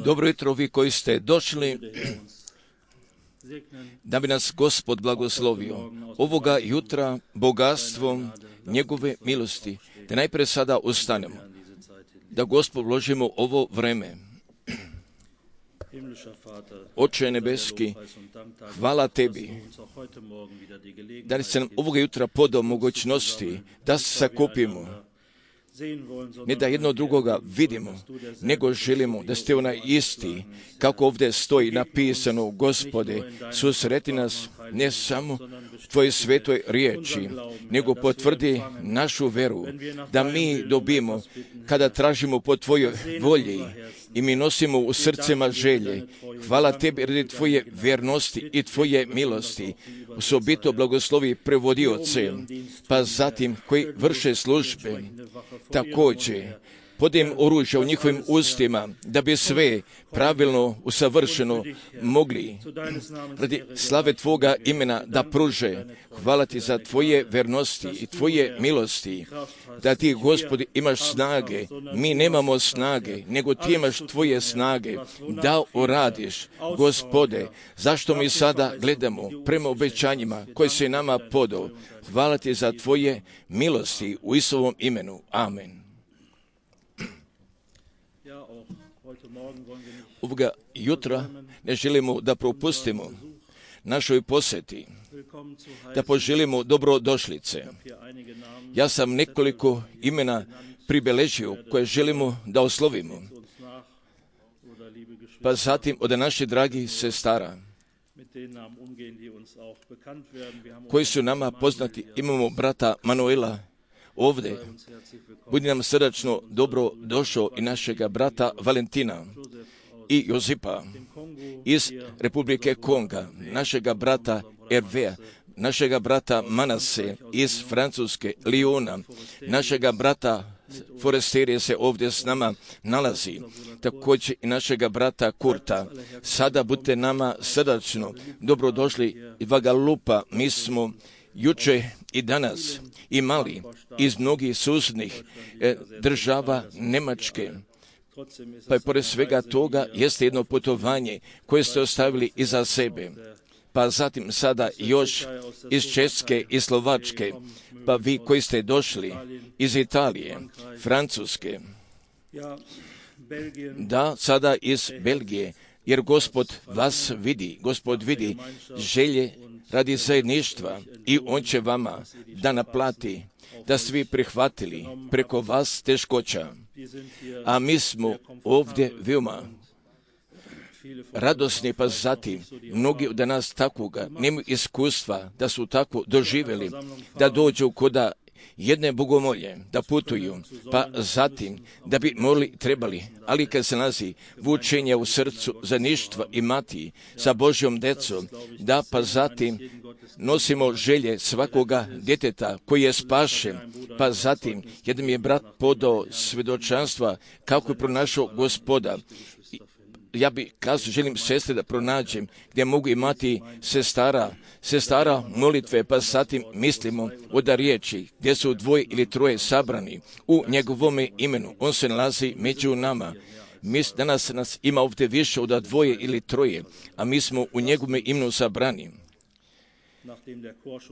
Dobro jutro vi koji ste došli, da bi nas Gospod blagoslovio ovoga jutra bogatstvom njegove milosti. Da najprije sada ustanemo, da Gospod vložimo ovo vreme. Oče nebeski, hvala tebi da si nam ovoga jutra podao mogućnosti da se sakupimo. Ne da jedno drugoga vidimo, nego želimo da ste onaj isti, kako ovdje stoji napisano, Gospode, susreti nas ne samo Tvoje svetoj riječi, nego potvrdi našu veru, da mi dobijemo kada tražimo po Tvojoj volji i mi nosimo u srcima želje. Hvala Tebi radi Tvoje vjernosti i Tvoje milosti. Osobito blagoslovi prevodioce, pa zatim koji vrše službe. Također, podem oružja u njihovim ustima, da bi sve pravilno, usavršeno mogli radi slave Tvoga imena da pruže. Hvala Ti za Tvoje vernosti i Tvoje milosti, da Ti, Gospodi, imaš snage. Mi nemamo snage, nego Ti imaš Tvoje snage da uradiš. Gospode, zašto mi sada gledamo prema obećanjima koje se nama podao? Hvala Ti za Tvoje milosti u Isusovom imenu. Amen. Ovoga jutra ne želimo da propustimo našoj posjeti, da poželimo dobrodošlice. Ja sam nekoliko imena pribeležio koje želimo da oslovimo. Pa zatim od naših dragih sestara, koji su nama poznati, imamo brata Manuela ovdje. Budi nam srdačno dobro došao i našega brata Valentina i Josipa iz Republike Konga, našega brata Hervea, našega brata Manase iz Francuske, Lyona, našega brata Foresterije se ovdje s nama nalazi, također i našega brata Kurta. Sada budite nama srdačno dobrodošli iz Vagalupa. Mi smo juče i danas imali iz mnogih susjednih država Njemačke. Pa i pored svega toga jeste jedno putovanje koje ste ostavili iza sebe. Pa zatim sada još iz Česke i Slovačke, pa vi koji ste došli iz Italije, Francuske, da sada iz Belgije, jer Gospod vas vidi, Gospod vidi želje radi zajedništva i On će vama da naplati, da svi prihvatili preko vas teškoća. A mi smo ovdje veoma radosni, pa zatim mnogi od nas takoga nemaju iskustva da su tako doživjeli, da dođu koda jedne bogomolje, da putuju, pa zatim da bi trebali, ali kad se nalazi vučenje u srcu zajedništva i mati sa Božjom decom, da pa zatim nosimo želje svakoga djeteta koji je spašen, pa zatim jedan mi je brat podao svjedočanstva kako je pronašao Gospoda. Ja bi kazao, želim sestre da pronađem gdje mogu imati sestara molitve, pa zatim mislimo od riječi gdje su 2 ili 3 sabrani u njegovome imenu. On se nalazi među nama. Danas nas ima ovdje više od 2 ili 3, a mi smo u njegovome imenu sabrani.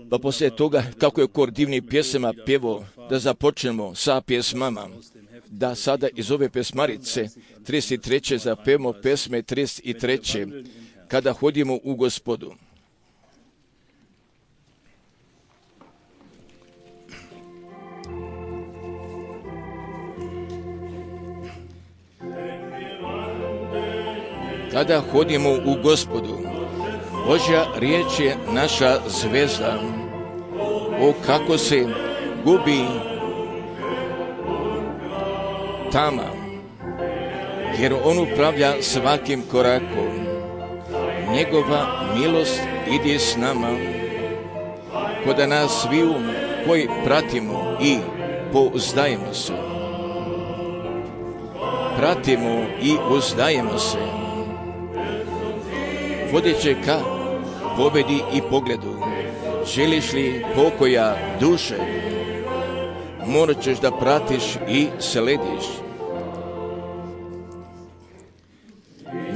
Pa poslije toga, kako je kor divnih pjesama pjevao, da započnemo sa pjesmama, da sada iz ove pjesmarice 33. zapevamo pjesme 33. kada hodimo u Gospodu. Kada hodimo u Gospodu, Božja riječ je naša zvezda. O kako se gubi tama, jer On upravlja svakim korakom. Njegova milost ide s nama, koda nas sviju koji pratimo i pouzdajemo se. Pratimo i uzdajemo se. Vodeće ka pobedi i pogledu. Želiš li pokoja duše? Morat ćeš da pratiš i slediš.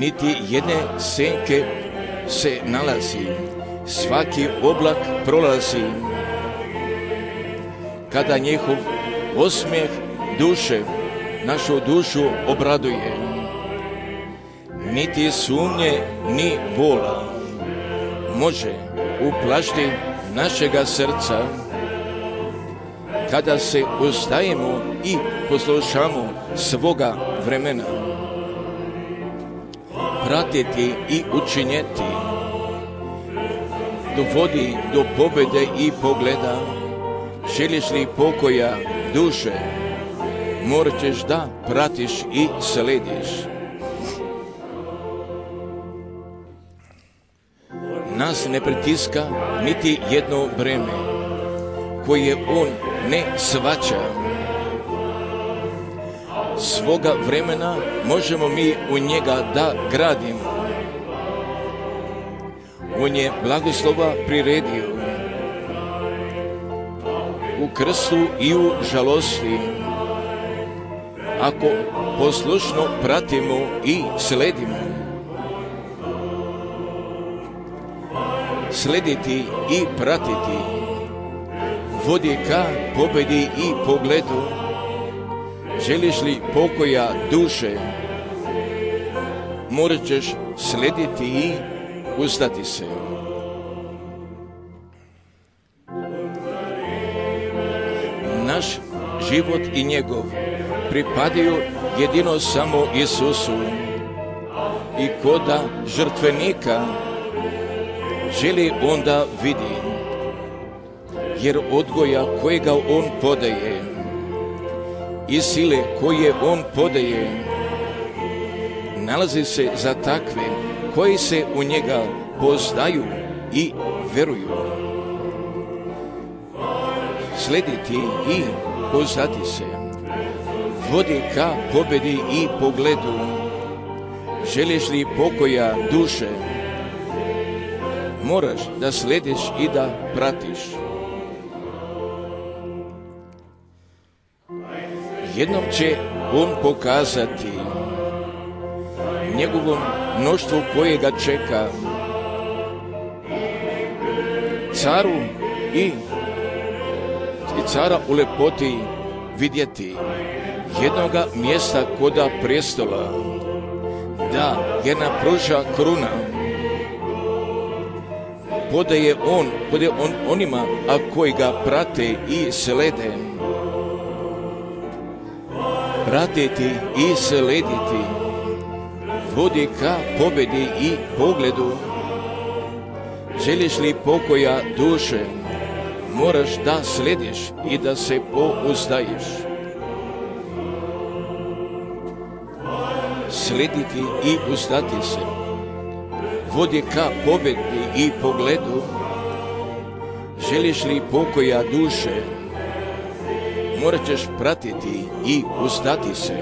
niti jedne senke se nalazi, svaki oblak prolazi. Kada njihov osmijeh duše našu dušu obraduje, niti sumnje ni bola može uplašiti našega srca, kada se ustajemo i poslušamo svoga vremena. Pratiti i učinjeti dovodi do pobjede i pogleda. Želiš li pokoja duše, morat ćeš da pratiš i slediš. Nas ne pritiska niti jedno breme koje on ne shvaća. Svoga vremena možemo mi u njega da gradimo. On je blagoslova priredio u krstu i u žalosti. Ako poslušno pratimo i sledimo, slediti i pratiti vodi ka pobjedi i pogledu. Želiš li pokoja duše, morat ćeš slediti i uzdati se. Naš život i njegov pripadaju jedino samo Isusu i koda žrtvenika želi onda vidi, jer odgoja kojega on podaje i sile koje on podaje nalazi se za takve koji se u njega poznaju i veruju. Slediti i poznati se vodi ka pobjedi i pogledu. Želiš li pokoja duše, moraš da slediš i da pratiš. Jednom će on pokazati njegovom mnoštvu koje ga čeka, caru i cara u lepoti vidjeti jednoga mjesta koda prestola, da je napruža kruna. Podaje on onima a koji ga prate i slede. Pratiti i slediti vodi ka pobjedi i pogledu. Želiš li pokoja duše, moraš da slediš i da se pouzdajiš. Slediti i uzdati se vodi ka pobjedi i pogledu. Želiš li pokoja duše, morat ćeš pratiti i uzdati se.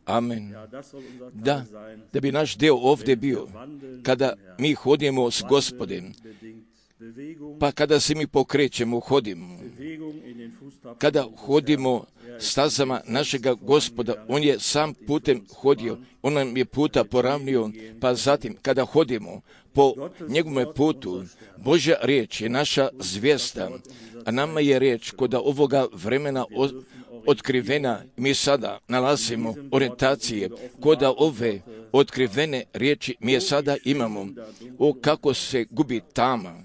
Amen. Da bi naš deo ovdje bio, kada mi hodimo s Gospodem, pa kada se mi pokrećemo, hodimo, kada hodimo stazama našega Gospoda, on je sam putem hodio, on nam je puta poravnio, pa zatim kada hodimo po njegovom putu, Božja riječ je naša zvijezda, a nama je riječ kod ovoga vremena otkrivena. Mi sada nalazimo orijentacije kod ove otkrivene riječi mi je sada imamo. O kako se gubi tama.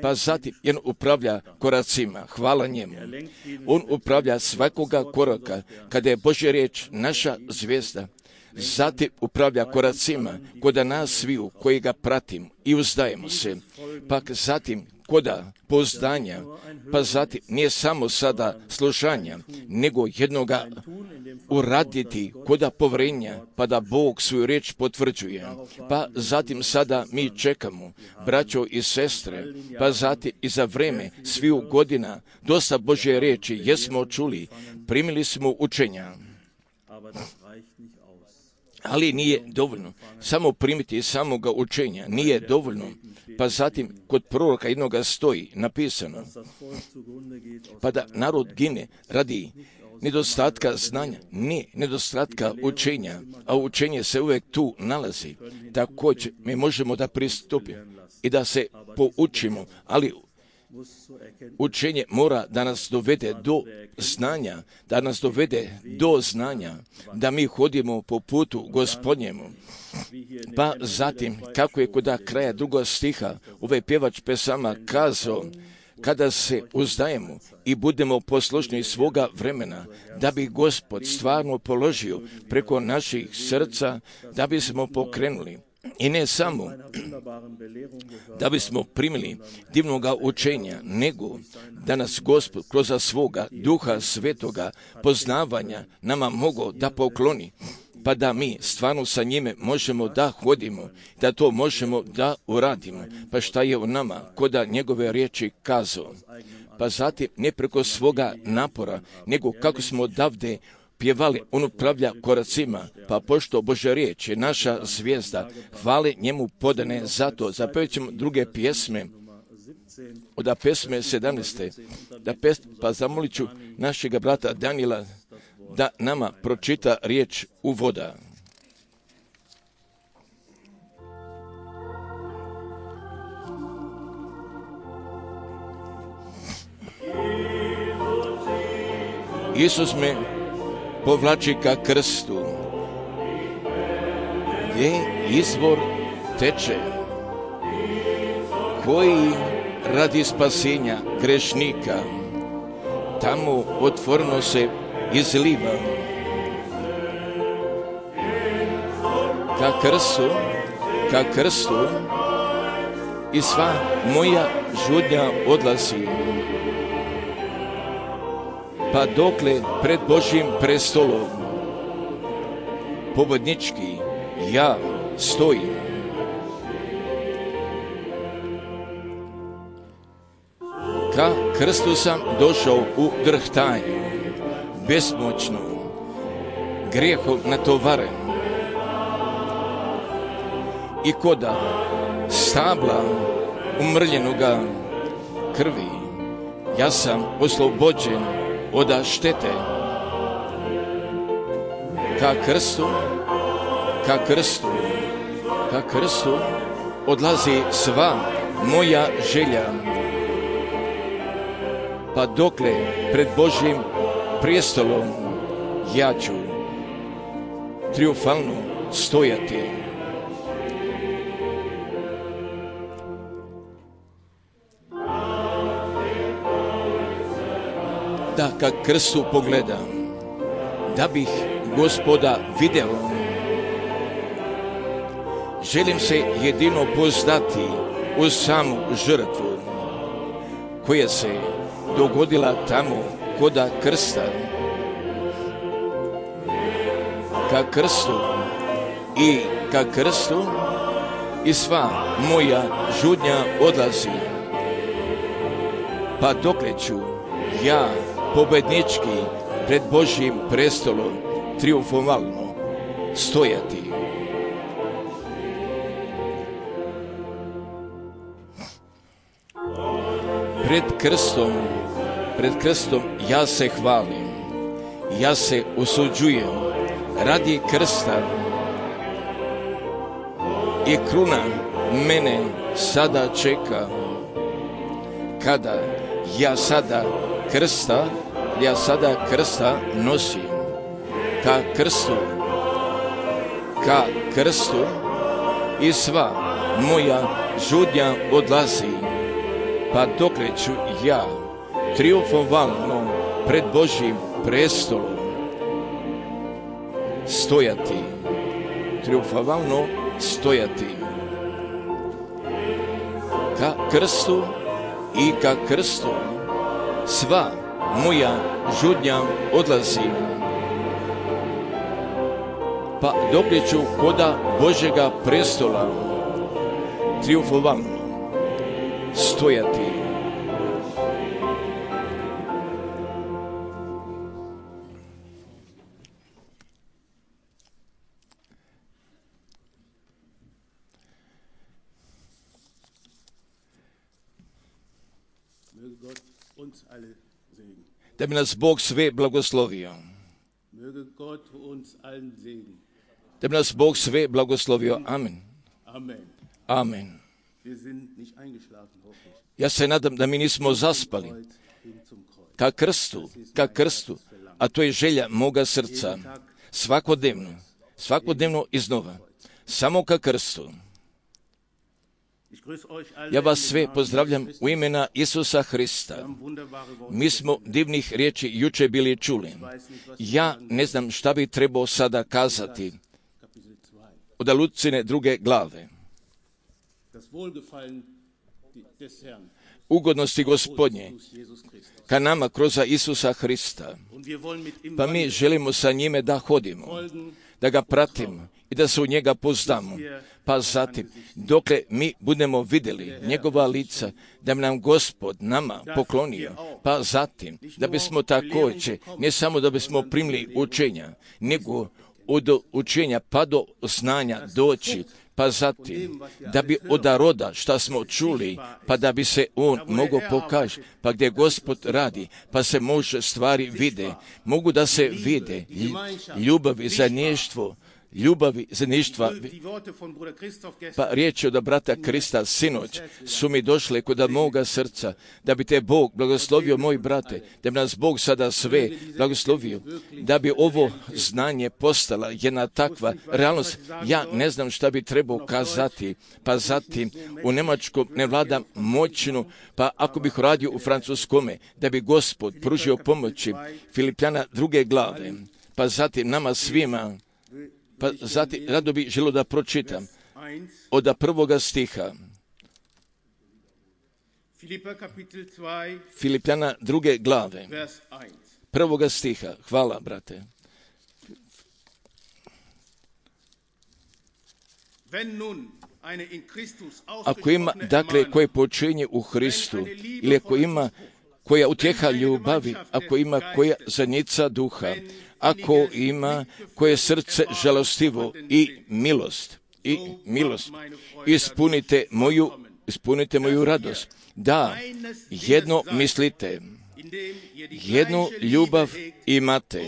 Pa zatim on upravlja koracima, hvala njemu. On upravlja svakoga koraka kada je Božja riječ naša zvijezda. Zatim upravlja koracima koda nas sviju koji ga pratim i uzdajemo se. Pak zatim koda pozdanja, pa zatim nije samo sada slušanja, nego jednoga uraditi koda povrenja, pa da Bog svoju riječ potvrđuje. Pa zatim sada mi čekamo, braćo i sestre, pa zatim i za vreme sviju godina dosta Božje riječi jesmo čuli, primili smo učenja. Ali nije dovoljno samo primiti samoga učenja, nije dovoljno. Pa zatim kod proroka jednoga stoji napisano, pa da narod gine radi nedostatka znanja, ne nedostatka učenja, a učenje se uvijek tu nalazi. Također mi možemo da pristupimo i da se poučimo, ali učenje mora da nas dovede do znanja, da mi hodimo po putu Gospodnjemu. Pa zatim, kako je kod kraja 2. stiha ovaj pjevač pesama kazao, kada se uzdajemo i budemo poslušni svoga vremena, da bi Gospod stvarno položio preko naših srca, da bismo pokrenuli. I ne samo da bismo primili divnoga učenja, nego da nas Gospod kroz svoga Duha Svetoga poznavanja nama mogu da pokloni, pa da mi stvarno sa njime možemo da hodimo, da to možemo da uradimo. Pa šta je u nama, koda njegove riječi kazao? Pa zatim ne preko svoga napora, nego kako smo odavde pjevali, on upravlja koracima, pa pošto Božja riječ je naša zvijezda, hvale njemu podane zato. Zapevit ćemo druge pjesme, od pesme 17. Pa zamolit ću našega brata Danila da nama pročita riječ uvoda. Isus me povlači ka krstu, gdje izvor teče, koji radi spasenja grešnika, tamo otvoreno se izliva. Ka krstu i sva moja žudnja odlazi, pa dokle pred Božjim prestolom pobjednički ja stojim. Ka krstu sam došao u drhtanju, besmoćno, grijehom natovaren, i koda stabla umrljenoga krvi, ja sam oslobođen od štete. Ka krstu odlazi sva moja želja, pa dokle pred Božjim prijestolom ja ću triumfalno stojati. Da ka krstu pogledam, da bih Gospoda video, želim se jedino poznati u samu žrtvu koja se dogodila tamo koda krsta. Ka krstu i sva moja žudnja odlazi, pa dokle ću ja pobednički pred Božjim prestolom triumfalno stojati. Pred krstom ja se hvalim, ja se usuđujem radi krsta, i kruna mene sada čeka, kada ja sada krsta nosim. Ka krstu i sva moja žudnja odlazi, pa dokle ću ja triumfalno pred Božjim prestolom stojati. Triumfalno stojati. Ka krstu sva moja žudnja odlazi, pa dokle ću koda Božjega prestola triumfalno stojati. da bi nas Bog sve blagoslovio. Da bi nas Bog sve blagoslovio. Amen. Amen. Ja se nadam da mi nismo zaspali ka krstu, a to je želja moga srca, svakodnevno iznova, samo ka krstu. Ja vas sve pozdravljam u imena Isusa Hrista. Mi smo divnih riječi juče bili čuli. Ja ne znam šta bi trebao sada kazati od Lucine 2. glave. Ugodnosti Gospodnje ka nama kroz Isusa Hrista. Pa mi želimo sa njime da hodimo, da ga pratimo i da se u njega poznamo. Pa zatim, dokle mi budemo vidjeli njegova lica, da bi nam Gospod nama poklonio, pa zatim, da bismo također, ne samo da bismo primili učenja, nego od učenja pa do znanja doći, pa zatim, da bi od roda šta smo čuli, pa da bi se on mogao pokaži, pa gdje Gospod radi, pa se može stvari vide, mogu da se vide ljubavi, zajedništva. Pa riječi od brata Krista sinoć su mi došle kod moga srca, da bi te Bog blagoslovio, moji brate, da bi nas Bog sada sve blagoslovio, da bi ovo znanje postala jedna takva realnost. Ja ne znam šta bi trebao kazati, pa zatim u njemačkom ne vladam moćnu, pa ako bih radio u francuskome, da bi Gospod pružio pomoći. Filipljana 2. glave, pa zatim nama svima. Pa zatim, rado bih želio da pročitam od 1. stiha. Filipljana 2. glave, 1. stiha. Hvala, brate. Ako ima, dakle, koje počinje u Hristu, ili ako ima koja utjeha ljubavi, ako ima koja zajednica duha, ako ima koje srce žalostivo i milost, ispunite moju radost. Da, jedno mislite, jednu ljubav imate,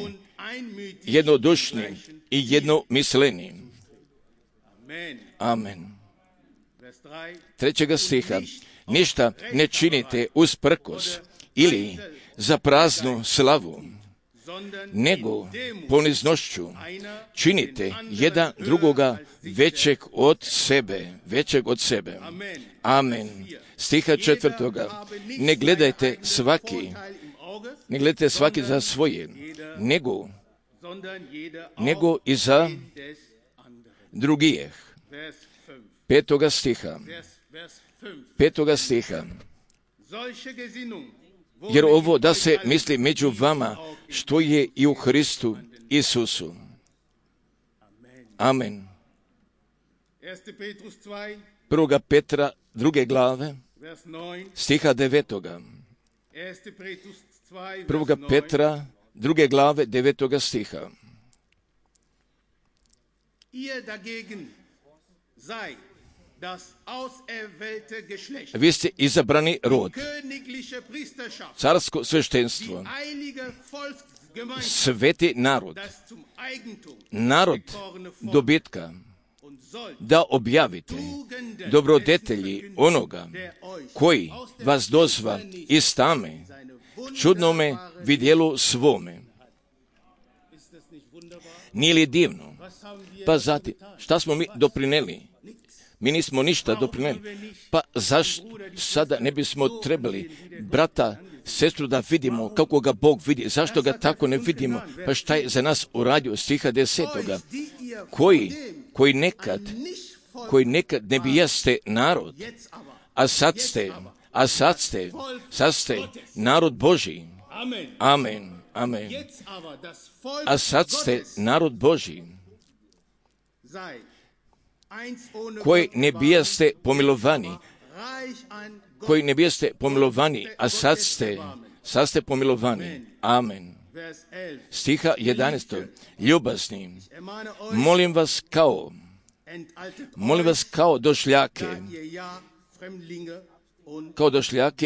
jednodušni i jednomisleni. Amen. 3. stiha. Ništa ne činite usprkos ili za praznu slavu, nego poniznošću činite jedan drugoga većeg od sebe. Amen. Stiha 4. Ne gledajte svaki za svoje, nego i za drugih. 5. stiha. Jer ovo da se misli među vama što je i u Hristu Isusu. Amen. 1. Petra 2. glave, stiha 9. 1. Petra 2. glave 9. stiha. Vi ste izabrani rod, carsko sveštenstvo, sveti narod dobitka, da objavite dobrodetelji onoga koji vas dozva iz tame čudnome vidjelu svome. Nije li divno? Pa zatim, šta smo mi doprineli? Mi nismo ništa doprineli. Pa zašto sada ne bismo trebali brata, sestru da vidimo kako ga Bog vidi? Zašto ga tako ne vidimo? Pa šta je za nas uradio? Stiha 10. Koji nekad ne bijaste narod, a sad ste narod Božji. Amen. A sad ste narod Božji, koji ne bijaste pomilovani, a sad ste pomilovani. Amen. Stiha 11. Ljubazni, molim vas kao došljake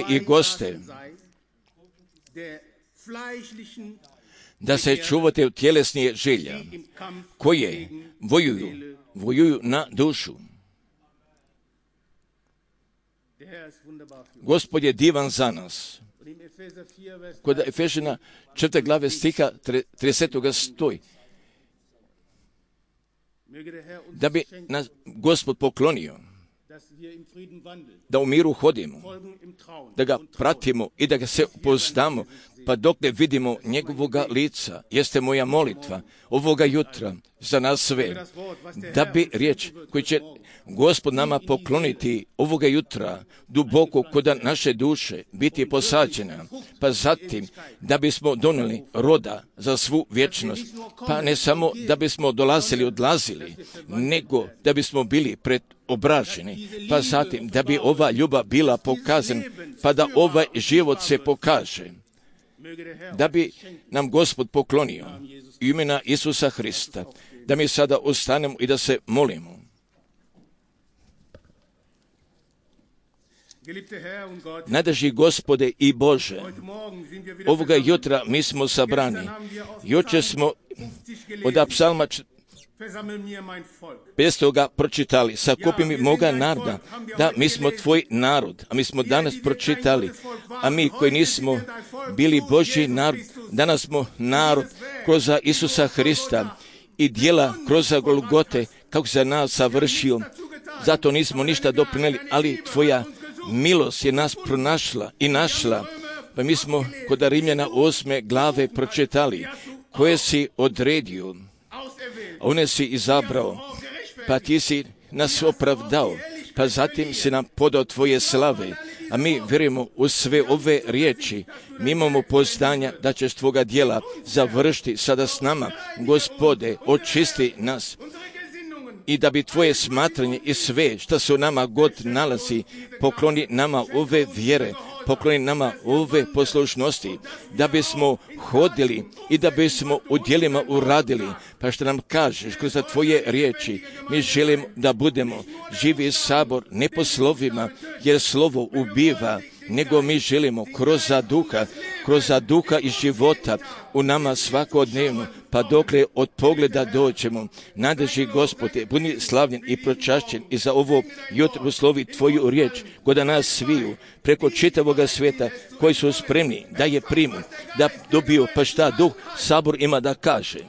i goste, da se čuvate od tjelesnih želja, koje vojuju na dušu. Gospod je divan za nas. Kod Efežana 4. glave stiha 30. stoji da bi nas Gospod poklonio, da u miru hodimo, da ga pratimo i da ga se upoznamo, pa dok ne vidimo njegovoga lica. Jeste moja molitva ovoga jutra za nas sve, da bi riječ koju će Gospod nama pokloniti ovoga jutra duboko kod naše duše biti posađena, pa zatim da bismo donijeli roda za svu vječnost, pa ne samo da bismo dolazili, odlazili, nego da bismo bili preobraženi, pa zatim da bi ova ljubav bila pokazana, pa da ovaj život se pokaže, da bi nam Gospod poklonio imena Isusa Hrista, da mi sada ostanemo i da se molimo. Najdraži Gospode i Bože, ovoga jutra mi smo sabrani. Jučer smo od psalma 500. pročitali, sakupi mi moga naroda, da mi smo tvoj narod, a mi smo danas pročitali, a mi koji nismo bili Božji narod, danas smo narod kroz Isusa Hrista i djela kroz Golgote, kako za nas savršio, zato nismo ništa doprinijeli, ali tvoja milost je nas pronašla i našla, pa mi smo kod Rimljana 8. glave pročitali, koje si odredio, one si izabrao, pa ti si nas opravdao, pa zatim si nam podao tvoje slave, a mi vjerujemo u sve ove riječi. Mi imamo poznanja da ćeš tvoga djela završiti sada s nama. Gospode, očisti nas i da bi tvoje smatranje i sve što se u nama god nalazi, pokloni nama ove vjere, pokloni nama ove poslušnosti, da bismo hodili i da bismo u djelima uradili, pa što nam kažeš kroz tvoje riječi. Mi želimo da budemo živi sabor, ne po slovima, jer slovo ubiva, nego mi želimo kroz duha i života u nama svakodnevno, pa dokle od pogleda dođemo. Najdraži Gospode, budi slavljen i pročašćen i za ovo jutro uslovi tvoju riječ, kod nas sviju, preko čitavoga svijeta, koji su spremni da je primu, da dobiju pa šta duh sabor ima da kaže.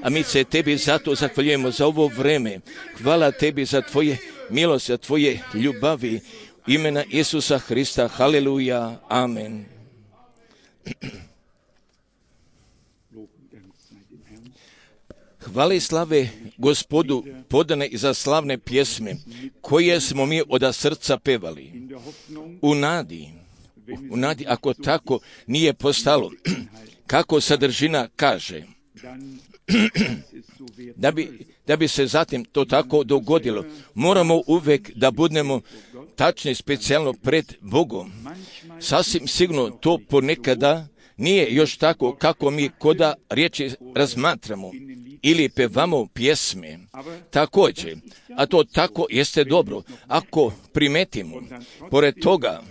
A mi se tebi zato zahvaljujemo za ovo vreme. Hvala tebi za tvoje milosti, za tvoje ljubavi, imena Isusa Hrista. Haleluja. Amen. Hvale i slave Gospodu podane i za slavne pjesme, koje smo mi od srca pevali. U nadi, ako tako nije postalo, kako sadržina kaže, da bi se zatim to tako dogodilo, moramo uvijek da budemo tačni, specijalno pred Bogom. Sasvim sigurno to ponekada nije još tako kako mi koda riječi razmatramo ili pevamo pjesme. Također, a to tako jeste dobro, ako primetimo, pored toga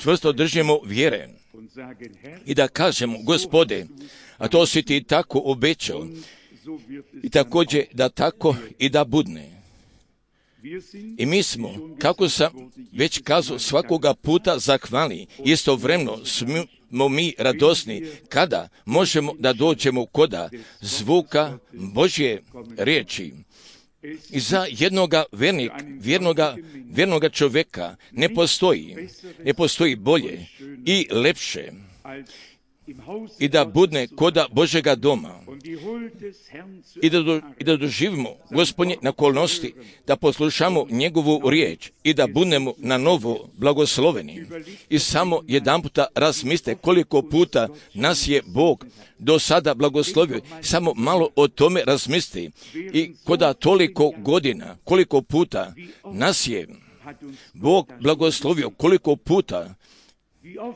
čvrsto držimo vjere i da kažemo, Gospode, a to si ti tako obećao, i također da tako i da budne. I mi smo, kako sam već kazao, svakoga puta zahvalni, istovremeno smo mi radosni kada možemo da dođemo koda zvuka Božje riječi. I za jednoga vjernoga čovjeka ne postoji bolje i lepše i da budne koda Božega doma i da doživimo Gospodnje nakolnosti, da poslušamo njegovu riječ i da budemo na novo blagosloveni. I samo jedanputa razmislite koliko puta nas je Bog do sada blagoslovio. Samo malo o tome razmislite i koda toliko godina, koliko puta nas je Bog blagoslovio, koliko puta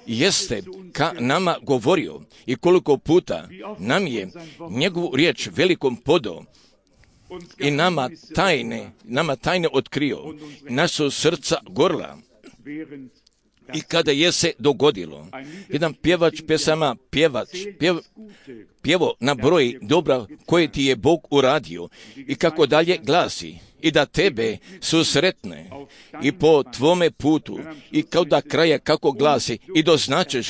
jeste ka nama govorio i koliko puta nam je njegovu riječ velikom podao i nama tajne otkrio, naša srca gorla. I kada je se dogodilo, jedan pjevač pjesama, pjevo na broj dobra koje ti je Bog uradio i kako dalje glasi, i da tebe susretne i po tvome putu i kao da kraja kako glasi i doznačeš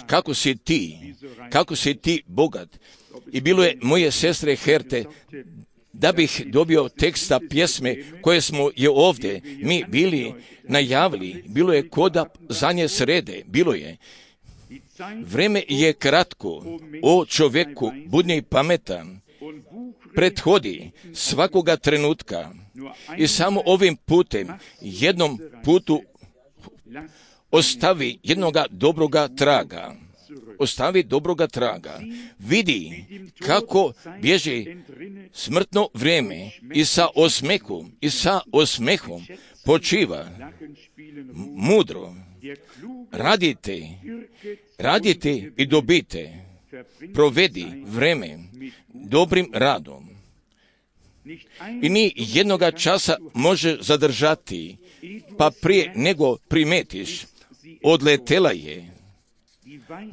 kako si ti bogat. I bilo je moje sestre Herte, da bih dobio teksta pjesme koje smo je ovdje mi bili najavili, bilo je koda zadnje srede, bilo je. Vreme je kratko, o čovjeku, budni pametan, prethodi svakoga trenutka i samo ovim putem, jednom putu ostavi jednoga dobroga traga. Ostavi dobroga traga. Vidi kako bježi smrtno vrijeme i sa osmehom počiva mudro. Radite i dobite. Provedi vreme dobrim radom. I ni jednoga časa može zadržati, pa prije nego primetiš, odletela je.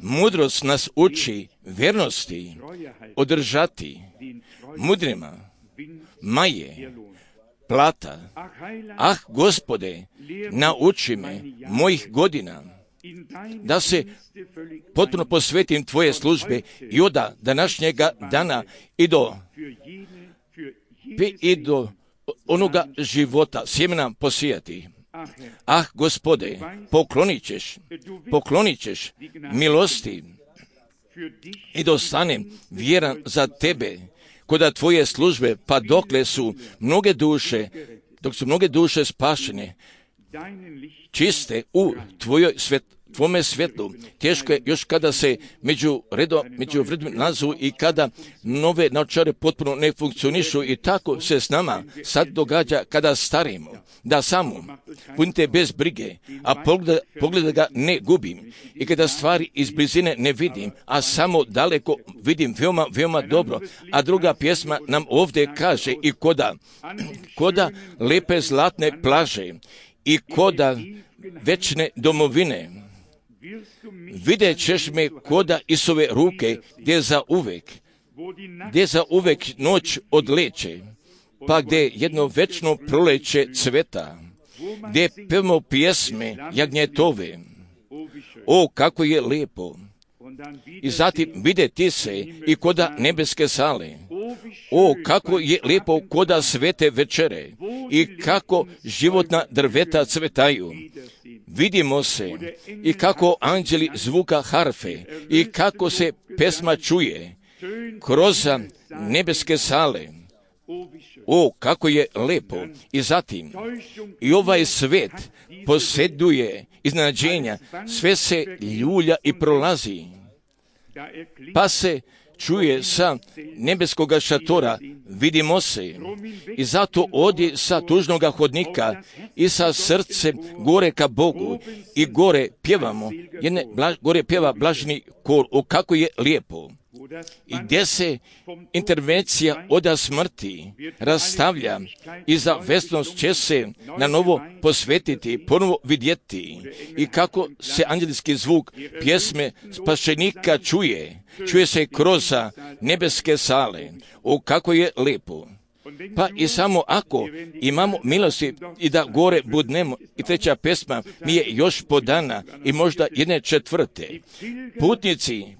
Mudrost nas uči vjernosti, održati mudrima maje plata. Ah, Gospode, nauči me mojih godina da se potpuno posvetim Tvoje službe i od današnjega dana i do onoga života sjemena posijati. Ah, Gospode, poklonit ćeš milosti i da ostanem vjeran za Tebe kod Tvoje službe, pa dok su mnoge duše spašene, čiste u Tvome svjetlu. Teško je još kada se među vredom nazu i kada nove naočare potpuno ne funkcionišu, i tako se s nama sad događa kada starimo, da samo budite bez brige, a pogleda ga ne gubim, i kada stvari iz blizine ne vidim, a samo daleko vidim veoma, veoma dobro. A druga pjesma nam ovdje kaže, i koda lepe zlatne plaže i koda večne domovine, vidjet ćeš me koda Isove ruke, gdje za uvek noć odleće, pa gdje jedno večno proleće cveta, gdje pevamo pjesme jagnjetove. O, kako je lijepo! I zatim vidjeti se i koda nebeske sale. O, kako je lijepo koda svete večere i kako životna drveta cvetaju. Vidimo se i kako anđeli zvuka harfe i kako se pesma čuje kroz nebeske sale. O, kako je lijepo! I zatim, i ovaj svet posjeduje iznenađenja, sve se ljulja i prolazi, pa se čuje sa nebeskoga šatora, vidimo se, i zato odi sa tužnoga hodnika i sa srcem gore ka Bogu i gore pjevamo, gore pjeva blaženi kor. O, kako je lijepo! I gdje se intervencija od smrti rastavlja i za večnost će se na novo posvetiti, ponovo vidjeti, i kako se anđelski zvuk pjesme spašenika čuje se kroz nebeske sale. O, kako je lijepo! Pa i samo ako imamo milosti i da gore budnemo, i treća pesma mi je još podana, i možda 1/4.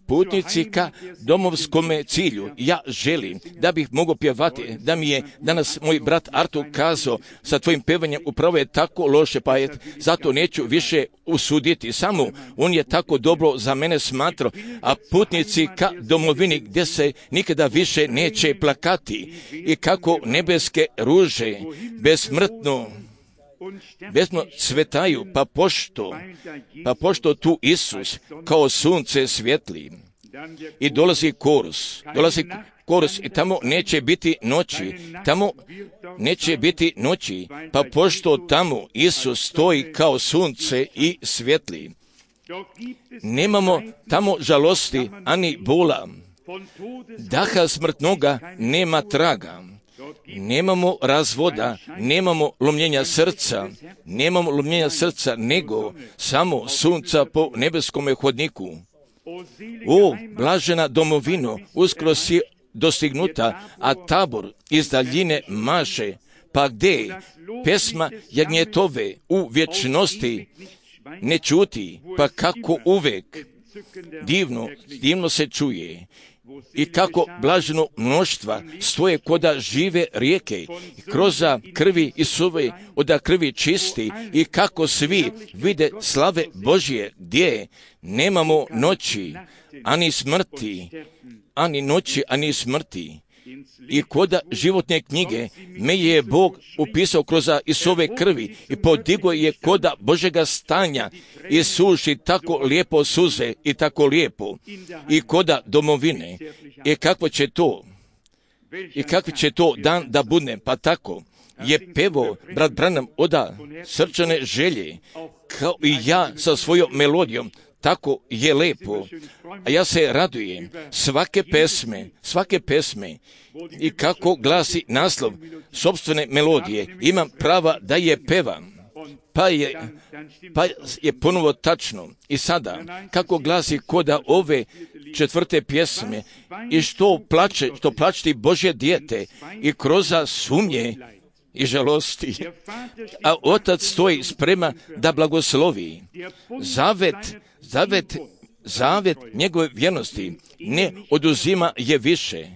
Putnici ka domovskome cilju. Ja želim da bih mogao pjevati, da mi je danas moj brat Artur kazao, sa tvojim pevanjem upravo je tako loše, pa zato neću više usuditi. Samo on je tako dobro za mene smatrao, a putnici ka domovini gdje se nikada više neće plakati, i kako nebeske ruže besmrtno cvetaju, pa pošto tu Isus kao sunce svijetli. I dolazi korus i tamo neće biti noći, pa pošto tamo Isus stoji kao sunce i svijetli. Nemamo tamo žalosti ani bola, daha smrtnoga nema traga. nemamo razvoda, nemamo lomljenja srca, nego samo sunca po nebeskome hodniku. O, blažena domovino, uskoro si dostignuta, a tabor iz daljine maše. Pa gdje pesma jagnjetove u vječnosti ne čuti, pa kako uvek divno se čuje. I kako blaženo mnoštva stoje koda žive rijeke, kroza krvi Isove oda krvi čisti, i kako svi vide slave Božje, gdje nemamo noći, ani smrti, ani smrti. I koda životne knjige me je Bog upisao kroz Isove krvi i podigo je koda Božega stanja i suši tako lijepo suze i tako lijepo i koda domovine. I kakvi će to dan da bude, pa tako je pevo brat Branham oda srčane želje, kao i ja sa svojom melodijom. Tako je lepo, a ja se radujem svake pesme i kako glasi naslov sopstvene melodije, imam prava da je pevam, pa je ponovo tačno. I sada, kako glasi koda ove 4. pjesme, i što plačti Božje dijete i kroz sumnje i žalosti, a Otac stoji sprema da blagoslovi. Zavet njegove vjernosti ne oduzima je više.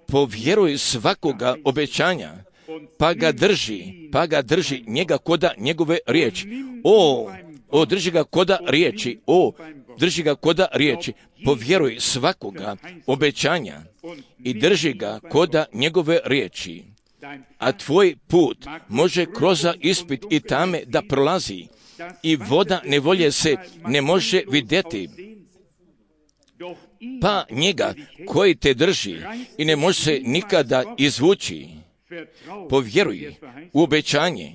Povjeruj svakoga obećanja, pa ga drži njega koda njegove riječi. Drži ga koda riječi, povjeruj svakoga obećanja i drži ga koda njegove riječi. A tvoj put može kroz ispit i tame da prolazi, i voda nevolje se ne može vidjeti. Pa njega koji te drži i ne može se nikada izvući, povjeruj u obećanje,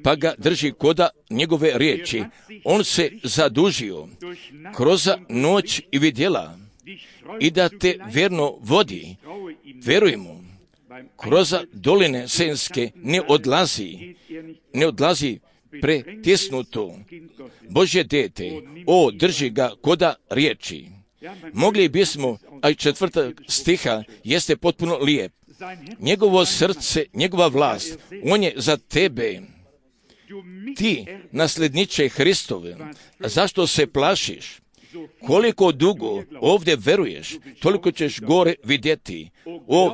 pa ga drži koda njegove riječi. On se zadužio kroz noć i vidjela, i da te vjerno vodi. Vjeruj mu, kroz doline senske ne odlazi pretisnuto. Božje dete, drži ga koda riječi. Mogli bismo, a i 4. stiha jeste potpuno lijep. Njegovo srce, njegova vlast, on je za tebe. Ti, nasljedniče Hristove, zašto se plašiš? Koliko dugo ovdje veruješ, toliko ćeš gore vidjeti.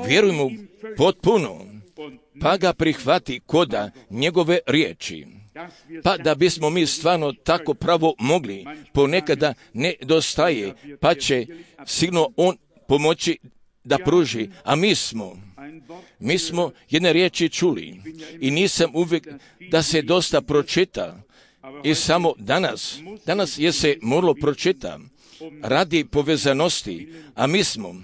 Vjeruj mu potpuno, pa ga prihvati koda njegove riječi. Pa da bismo mi stvarno tako pravo mogli, ponekada nedostaje, pa će sigurno on pomoći da pruži. A mi smo jedne riječi čuli i nisam uvijek da se dosta pročita. I samo danas je se moralo pročita radi povezanosti, a mi smo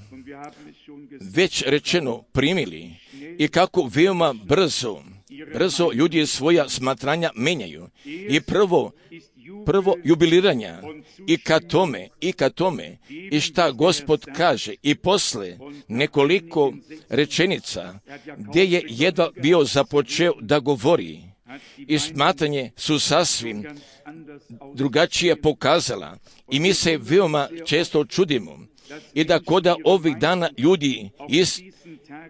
već rečeno primili i kako veoma brzo ljudi svoja smatranja menjaju. I prvo jubiliranja i ka tome i šta Gospod kaže, i posle nekoliko rečenica gdje je jedva bio započeo da govori, i smatranje su sasvim drugačije pokazala, i mi se veoma često čudimo i da koda ovih dana ljudi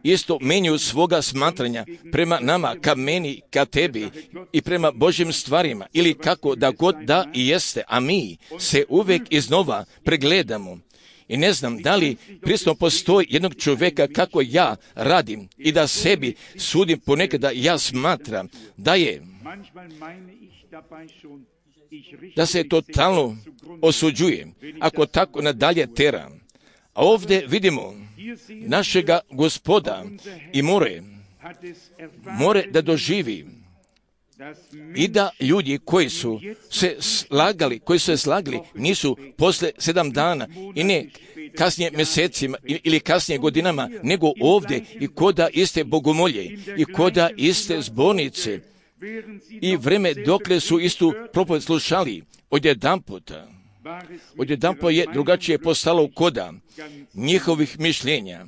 isto menjaju svoga smatranja prema nama, ka meni, ka tebi i prema Božjim stvarima, ili kako da god da i jeste, a mi se uvijek iznova pregledamo. I ne znam da li prisutno postoji jednog čovjeka kako ja radim i da sebi sudim ponekada ja smatram da se totalno osuđuje ako tako nadalje teram. A ovdje vidimo našega Gospoda i more da doživi i da ljudi koji su se slagali nisu posle 7 dana i ne kasnije mjesecima ili kasnije godinama, nego ovdje i koda iste bogomolje i koda iste zbornice i vreme dokle su istu propoved slušali, odjedanput je drugačije postalo koda njihovih mišljenja.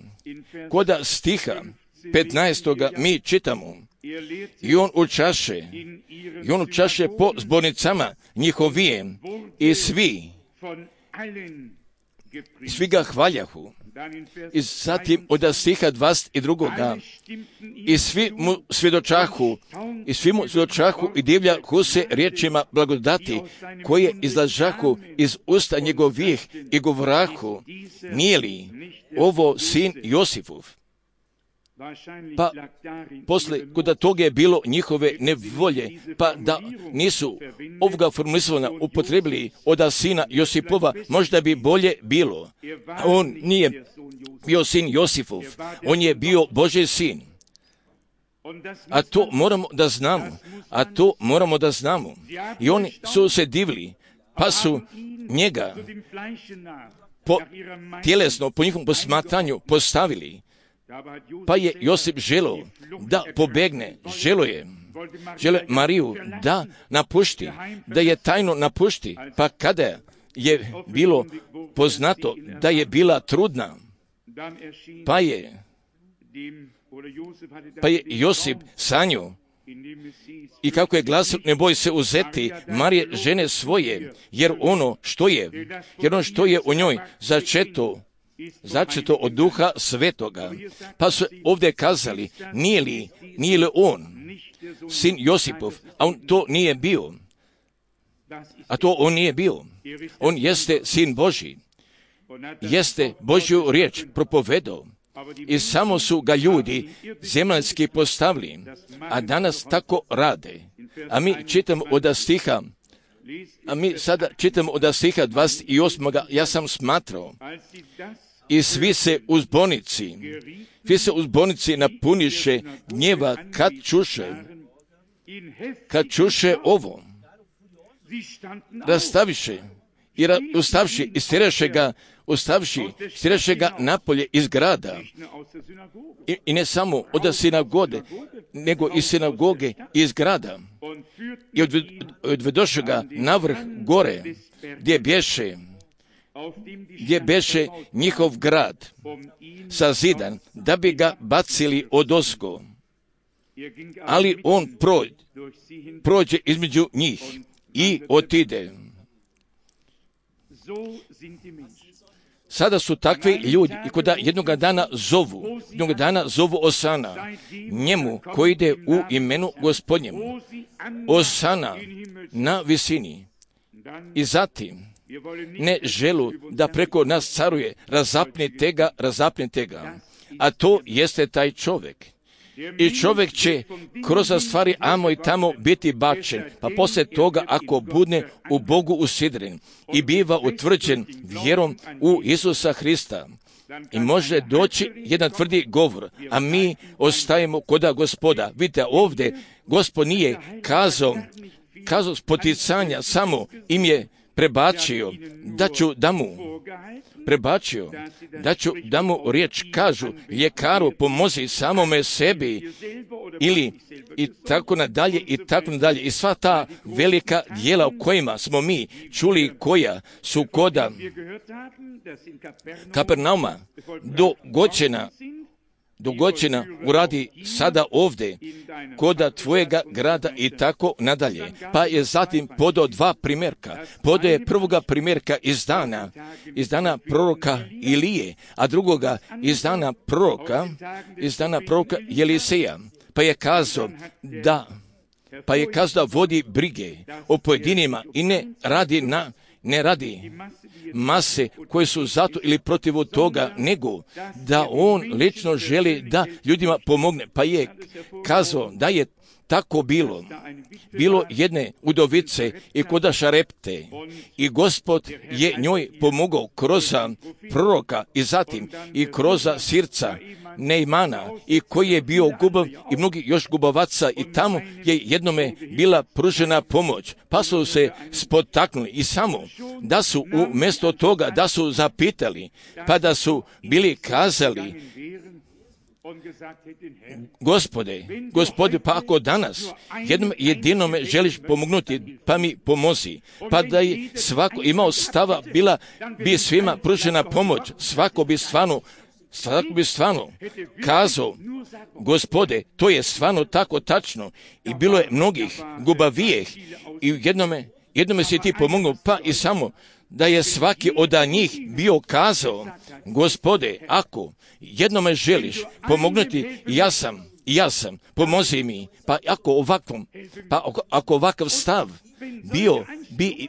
Koda stiha 15. mi čitamo, i on učaše po zbornicama njihovije i svi ga hvaljahu. I zatim od stiha 22. I svi mu svjedočahu i divljahu se riječima blagodati koje izlažahu iz usta njegovih i govorahu, nije li ovo sin Josifov? Pa posle, kod toga je bilo njihove nevolje, pa da nisu ovoga formulisana upotrebili od sina Josipova, možda bi bolje bilo. On nije bio sin Josifov, on je bio Božji sin. A to moramo da znamo. I oni su se divili, pa su njega tjelesno, po njihovom posmatranju postavili. Pa je Josip želio da pobegne, želio Mariju da napušti, da je tajno napušti, pa kada je bilo poznato da je bila trudna, pa je Josip sanjao, i kako je glasio, ne boj se uzeti Marije žene svoje, jer ono što je u njoj začeto od Duha Svetoga. Pa su ovdje kazali, nije li on sin Josipov, a on to nije bio. On jeste sin Božji, jeste Božju riječ propovedao. I samo su ga ljudi zemaljski postavili, a danas tako rade. A mi sada čitamo od stiha 28. Ja sam smatrao, i svi se u zbornici napuniše gnjeva kad čuše ovo. Rastaviše i ustavši i stiraše ga napolje iz grada. I ne samo od sinagode, nego iz sinagoge iz grada. I odvedoše ga navrh gore, gdje beše njihov grad sazidan, da bi ga bacili odozgo. Ali on prođe između njih i otide. Sada su takvi ljudi i koda jednoga dana zovu Osana, njemu koji ide u imenu Gospodnjemu. Osana na visini. I zatim ne želu da preko nas caruje, razapnite ga. A to jeste taj čovjek. I čovjek će kroz stvari amo i tamo biti bačen, pa poslije toga ako budne u Bogu usidren i biva utvrđen vjerom u Isusa Hrista, i može doći jedan tvrdi govor, a mi ostajemo koda Gospoda. Vidite, ovdje Gospod nije kazao spoticanja, samo im je prebačio da ću da mu riječ kažu, ljekaru pomozi samome sebi, ili i tako nadalje. I sva ta velika djela o kojima smo mi čuli, koja su koda Kapernauma dogođena uradi sada ovdje koda tvojega grada i tako nadalje. Pa je zatim podao dva primjerka. Podao je prvoga primjerka iz dana proroka Ilije, a drugoga iz dana proroka Eliseja. Pa je kazao da vodi brige o pojedinima i ne radi mase koje su zato ili protiv toga, nego da on lično želi da ljudima pomogne. Pa je kazao da je tako bilo jedne udovice i koda Šarepte, i Gospod je njoj pomogao kroz proroka i zatim i kroz sirca Neimana, i koji je bio gubav i mnogi još gubavaca, i tamo je jednome bila pružena pomoć. Pa su se spotaknuli i samo da su umjesto toga da su zapitali, pa da su bili kazali, Gospode, pa ako danas jednom jedinome želiš pomognuti, pa mi pomozi, pa da je svako imao stava, bila bi svima pružena pomoć, svako bi stvarno Svako bi stvarno kazao, Gospode, to je stvarno tako tačno. I bilo je mnogih gubavijeh i jednome si ti pomogao, pa i samo da je svaki od njih bio kazao, Gospode, ako jednome želiš pomognuti, ja sam, pomozi mi. Pa ako ovakav stav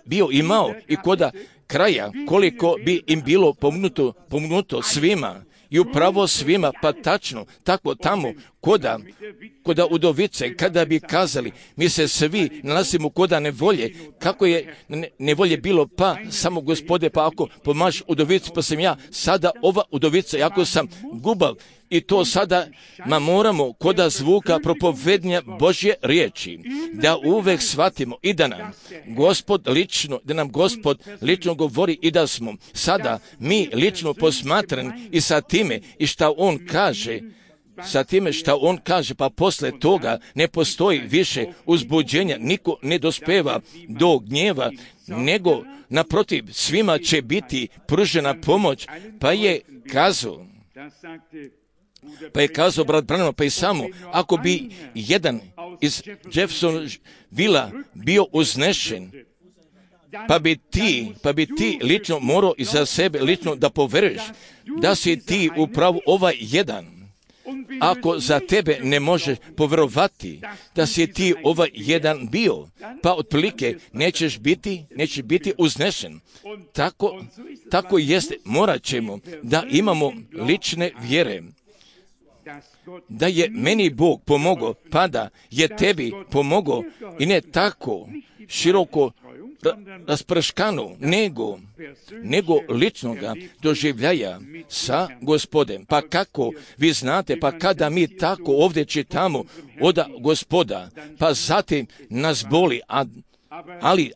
bio imao i koda kraja, koliko bi im bilo pomognuto svima, i upravo svima, pa tačno, tako tamo, koda udovice, kada bi kazali, mi se svi nalazimo koda nevolje, kako je nevolje bilo, pa samo Gospode, pa ako pomaš udovici, pa sam ja sada ova udovica, ako sam gubav, i to sada moramo koda zvuka propovednja Božje riječi, da uvek shvatimo i da nam Gospod lično govori i da smo sada mi lično posmatrani i sa time i šta On kaže, pa posle toga ne postoji više uzbuđenja, niko ne dospeva do gnjeva, nego naprotiv svima će biti pružena pomoć, pa je kazao brat Branham, pa i samo, ako bi jedan iz Jeffersonvilla bio uznešen, pa bi ti lično morao i za sebe lično da poveruješ da si ti upravo ovaj jedan. Ako za tebe ne možeš poverovati da si ti ovaj jedan bio, pa otprilike nećeš biti uznešen. Tako jeste, morat ćemo da imamo lične vjere. Da je meni Bog pomogao, pa da je tebi pomogao i ne tako široko rasprškano, nego ličnoga doživljaja sa Gospodem. Pa kako vi znate, pa kada mi tako ovdje čitamo od Gospoda, pa zatim nas boli, ali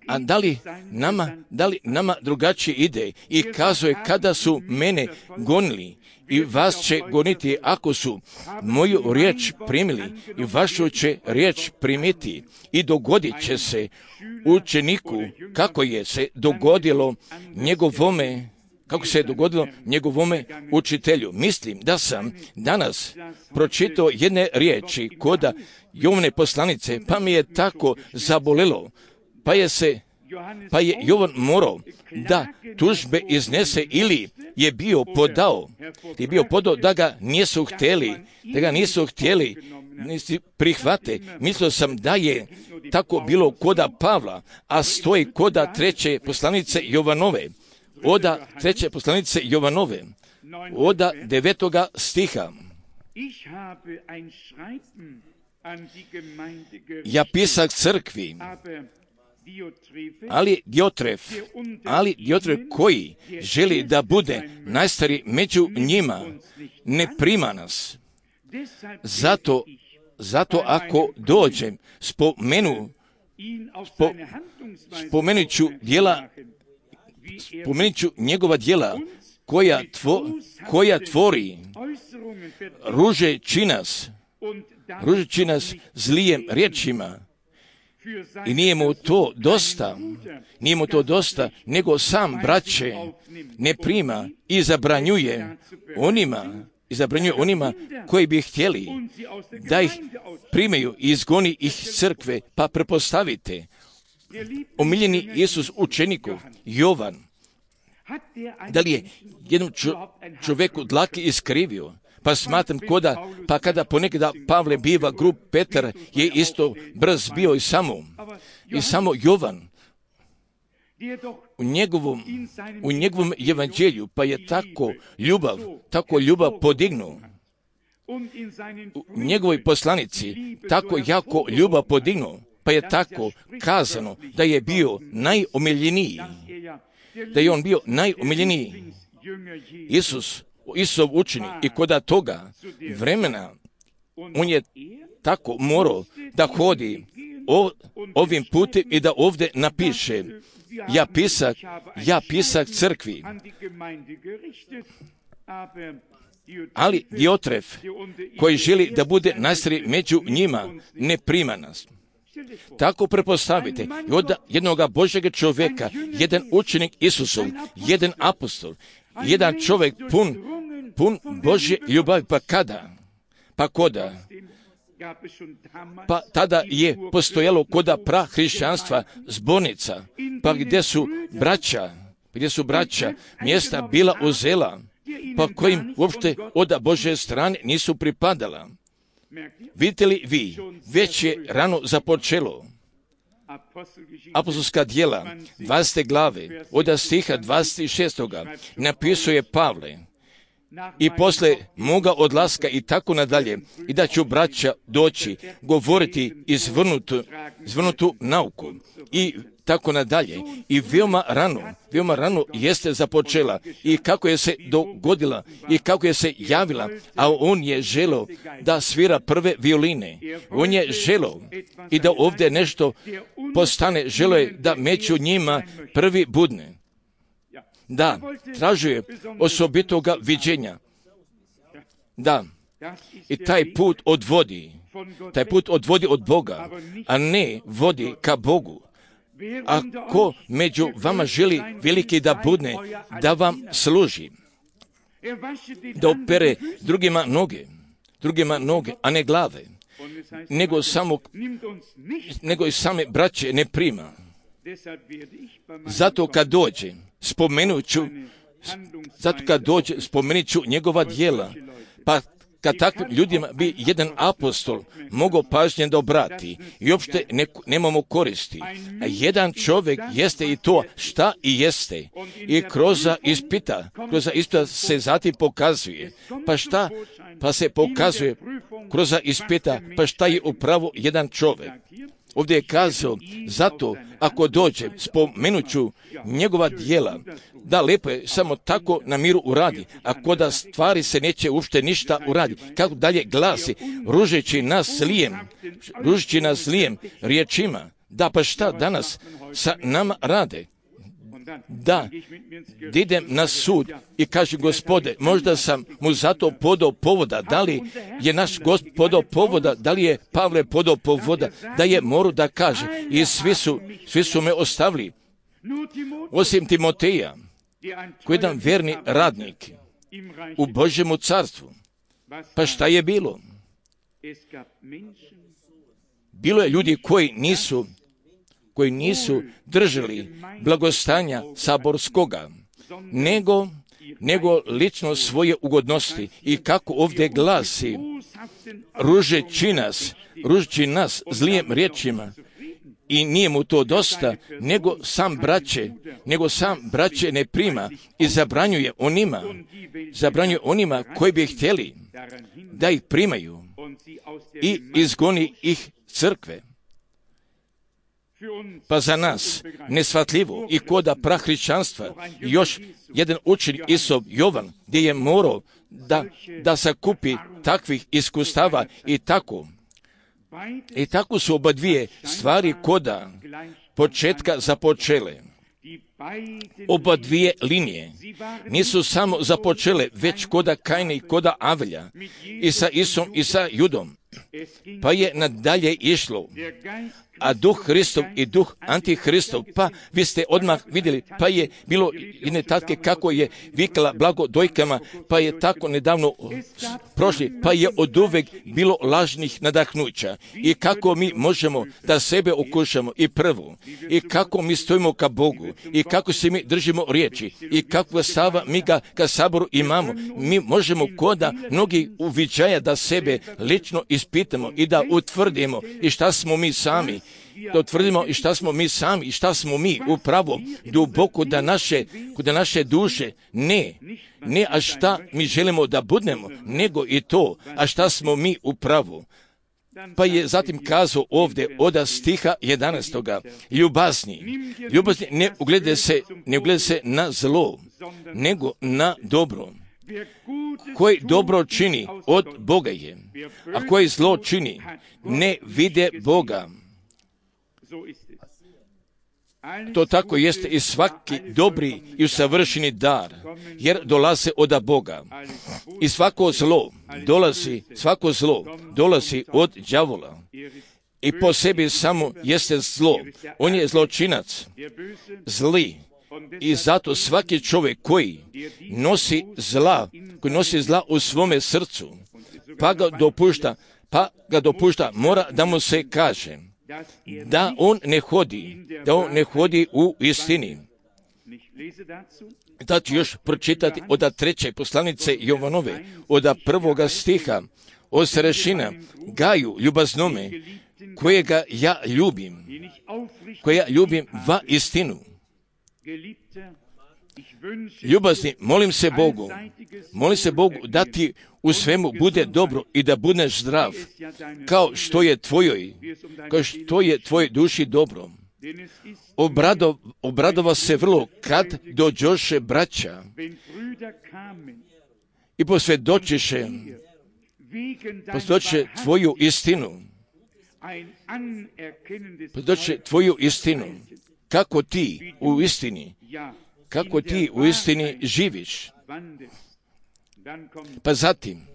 da li nama drugačije ide i kazuje kada su mene gonili i vas će goniti ako su moju riječ primili i vašu će riječ primiti i dogodit će se učeniku kako se dogodilo njegovome učitelju. Mislim da sam danas pročitao jedne riječi koda Jovane poslanice, pa mi je tako zabolelo, pa je Jovan morao da tužbe iznese ili je bio podao da ga nisu htjeli prihvate. Mislio sam da je tako bilo koda Pavla, a stoji koda treće poslanice Jovanove, od 9. stiha. Ja pisak crkvi, ali Diotref koji želi da bude najstariji među njima, ne prima nas. Zato ako dođem, spomenut ću njegova djela koja tvori, ružeći nas zlijem riječima. I nije mu to dosta, nego sam braće ne prima i zabranjuje onima koji bi htjeli da ih primaju i izgoni ih crkve, pa prepostavite. Omiljeni Isus učenikov, Jovan, da li je jednom čovjeku dlake iskrivio? Pa smatram pa kada ponekada Pavle biva grub, Petar je isto brz bio i samo Jovan u njegovom evanđelju, pa je tako ljubav podignuo. U njegovoj poslanici tako jako ljubav podignuo, pa je tako kazano da je bio najomiljeniji, Isusov učenik i koda toga vremena on je tako morao da hodi ovim putem i da ovdje napiše ja pisak crkvi. Ali Diotref koji želi da bude najstariji među njima ne prima nas. Tako prepostavite i od jednoga Božjega čovjeka, jedan učenik Isusov, jedan apostol, jedan čovjek pun pun Božje ljubavi. Pa kada? Pa koda? Pa tada je postojalo koda prahrišćanstva zbornica, pa gdje su braća mjesta bila uzela, pa kojim uopšte od Božje strane nisu pripadala. Vidite li vi, već je rano započelo. Apostolska djela, 20. glave, od stiha 26. napisuje Pavle: i posle moga odlaska i tako nadalje, i da ću braća doći govoriti izvrnutu nauku i tako nadalje. I veoma rano jeste započela i kako je se dogodila i kako je se javila, a on je želeo da svira prve violine. On je želeo i da ovdje nešto postane, želeo je da među njima prvi budne. Da, tražuje osobitoga viđenja. Da, i taj put odvodi od Boga, a ne vodi ka Bogu. Ako među vama želi veliki da budne, da vam služi, da opere drugima noge, a ne glave, nego i same braće ne prima. Zato kad dođe, spomenut ću njegova djela, pa kad takvim ljudima bi jedan apostol mogao pažnje da obrati i uopšte nemamo koristi. A jedan čovjek jeste i to šta i jeste. I kroz ispita se zatim pokazuje. Pa šta? Pa se pokazuje kroz ispita, pa šta je upravo jedan čovjek. Ovdje je kazao, zato ako dođe, spomenut ću njegova djela, da lijepo je samo tako na miru uradi, ako da stvari se neće uopšte ništa uradi. Kako dalje glasi, ružeći nas zlijem riječima. Da, pa šta danas sa nama rade? Da idem na sud i kaže, Gospode, možda sam mu zato podao povoda, da li je naš Gospod podao povoda, da li je Pavle podao povoda, da je morao da kaže, i svi su me ostavili, osim Timoteja, koji je jedan verni radnik u Božjemu carstvu. Pa šta je bilo? Bilo je ljudi koji nisu držali blagostanja saborskoga, nego lično svoje ugodnosti. I kako ovdje glasi, ružeći nas zlijem riječima, i nije mu to dosta, nego sam braće ne prima i zabranjuje onima koji bi htjeli da ih primaju i izgoni ih crkve. Pa za nas neshvatljivo i koda prahrišćanstva još jedan učenik Isov Jovan, gdje je morao da sakupi takvih iskustava i tako su oba dvije stvari koda početka započele. Oba dvije linije nisu samo započele, već koda Kajna i koda Avelja, i sa Isom i sa Judom, pa je nadalje išlo. A duh Hristov i duh Antihristov, pa vi ste odmah vidjeli, pa je bilo jedne tatke kako je vikala blago dojkama, pa je tako nedavno prošli, pa je oduvek bilo lažnih nadahnuća. I kako mi možemo da sebe okušamo i prvu, i kako mi stojimo ka Bogu, i kako se mi držimo riječi, i kakva stava mi ga ka saboru imamo. Mi možemo koda mnogi uviđaja da sebe lično ispitamo i da utvrdimo i šta smo mi sami. Da utvrdimo i šta smo mi sami i šta smo mi upravo duboko da naše duše ne, a šta mi želimo da budemo, nego i to, a šta smo mi upravo. Pa je zatim kazao ovdje od stiha 11. Ljubazni, ne uglede se na zlo, nego na dobro. Koji dobro čini, od Boga je, a koji zlo čini, ne vide Boga. To tako jeste i svaki dobri i usavršeni dar, jer dolaze od Boga. I svako zlo dolazi od đavola. I po sebi samo jeste zlo. On je zločinac, zli, I zato svaki čovjek koji nosi zla u svome srcu, pa ga dopušta, mora da mu se kaže da on ne hodi u istini. Da ću još pročitati od 3. poslanice Jovanove, od 1. stiha, o starešina Gaju ljubaznome, kojega ja ljubim va istinu. Ljubazni, molim se Bogu da ti u svemu bude dobro i da budeš zdrav, kao što je tvojoj duši dobro. Obradova se vrlo kad dođoše braća i posvjedočiše tvoju istinu. Posvjedoče tvoju istinu. Kako ti u istini živiš. Pa zatim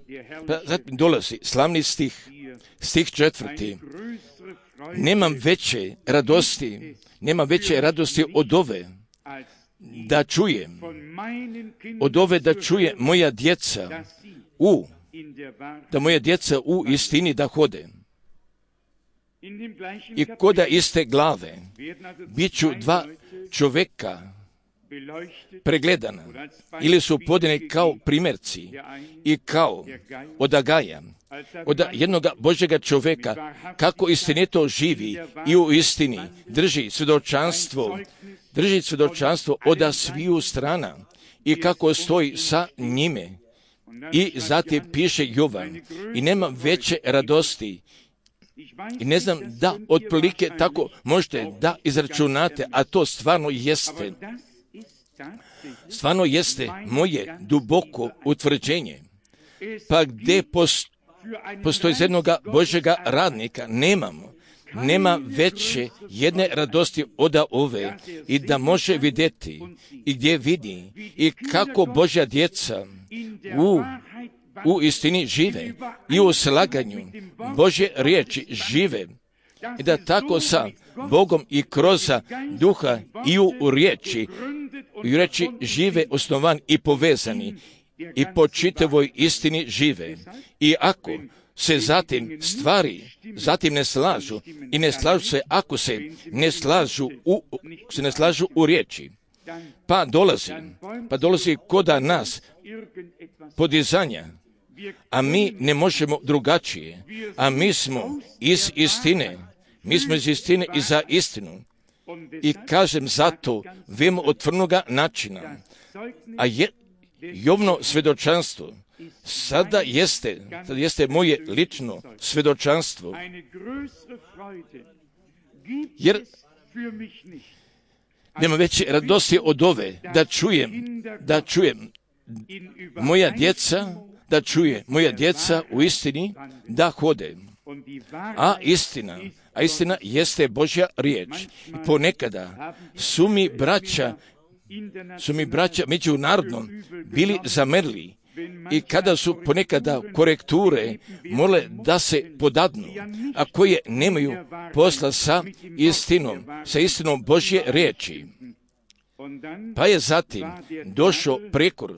dolazi slavni stih 4. Nemam veće radosti od ove da čuje moja djeca u istini da hode. I koda iste glave bit ću 2 čovjeka pregledana ili su podane kao primjerci i kao od Agaja, od jednoga Božjega čovjeka, kako istinito živi i u istini drži svjedočanstvo od sviju strana i kako stoji sa njime. I zatim piše Jovan, i nema veće radosti. I ne znam da otprilike tako možete da izračunate, a to stvarno jeste moje duboko utvrđenje. Pa gdje postoji za jednoga Božjega radnika, nema veće jedne radosti od ove i da može vidjeti i gdje vidi i kako Božja djeca u istini žive i u slaganju Božje riječi žive i da tako sa Bogom i kroz duha i u riječi žive osnovan i povezani i po čitavoj istini žive. I ako se zatim ne slažu i ne slažu se ako se ne slažu u riječi, pa dolazi koda nas podizanja, a mi ne možemo drugačije, a mi smo iz istine i za istinu. I kažem zato vemo otvornoga načina, a Jovno svjedočanstvo sada jeste moje lično svjedočanstvo, jer nema veće radosti od ove da čujem moja djeca u istini da hode. A istina jeste Božja riječ. I ponekada su mi braća međunarodno bili zamrli i kada su ponekada korekture mole da se podadnu, a koje nemaju posla sa istinom Božje riječi. Pa je zatim došao prekor,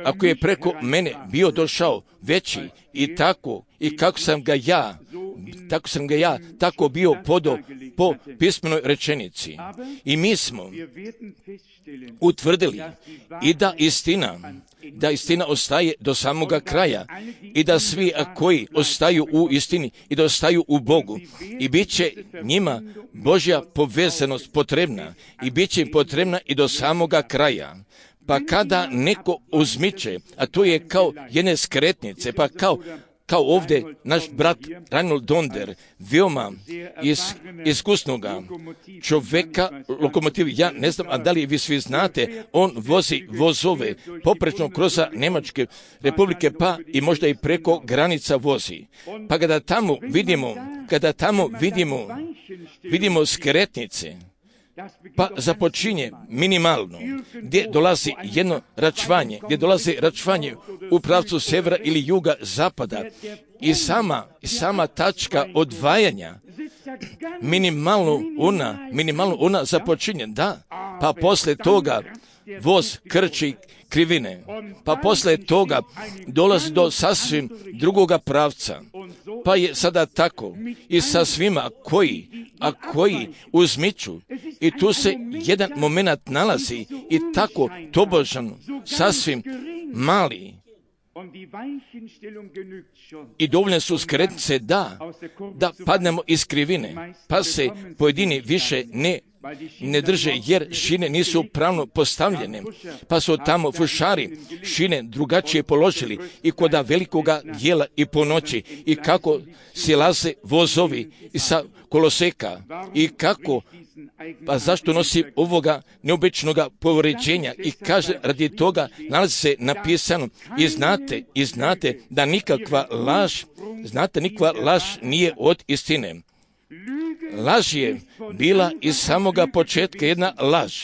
ako je preko mene bio došao veći i kako sam ga ja tako bio podao po pismenoj rečenici. I mi smo utvrdili i da istina ostaje do samoga kraja i da svi koji ostaju u istini i da ostaju u Bogu i bit će njima Božja povezanost potrebna i bit će im potrebna i do samoga kraja. Pa kada neko uzmiče, a to je kao jedne skretnice, pa kao ovdje naš brat Reinhold Donder, veoma iskusnoga čovjeka, lokomotiv, ja ne znam, a da li vi svi znate, on vozi vozove poprečno kroz Njemačke republike, pa i možda i preko granica vozi. Pa kada tamo vidimo skretnice, pa započinje minimalno, gdje dolazi jedno račvanje u pravcu sjevera ili juga, zapada i sama tačka odvajanja minimalno ona započinje, pa posle toga voz krči krivine, pa posle toga dolazi do sasvim drugoga pravca. Pa je sada tako i sa svima koji uzmiču. I tu se jedan moment nalazi i tako tobožan, sasvim mali. I dovoljne su skretnice da padnemo iz krivine, pa se pojedini više ne drže, jer šine nisu pravno postavljene, pa su tamo fušari šine drugačije položili i koda velikoga dijela i po noći, i kako silaze vozovi sa koloseka, i kako, pa zašto nosi ovoga neobičnoga povređenja, i kaže radi toga nalazi se napisano i znate da nikakva laž nije od istine. Laž je bila iz samoga početka jedna laž,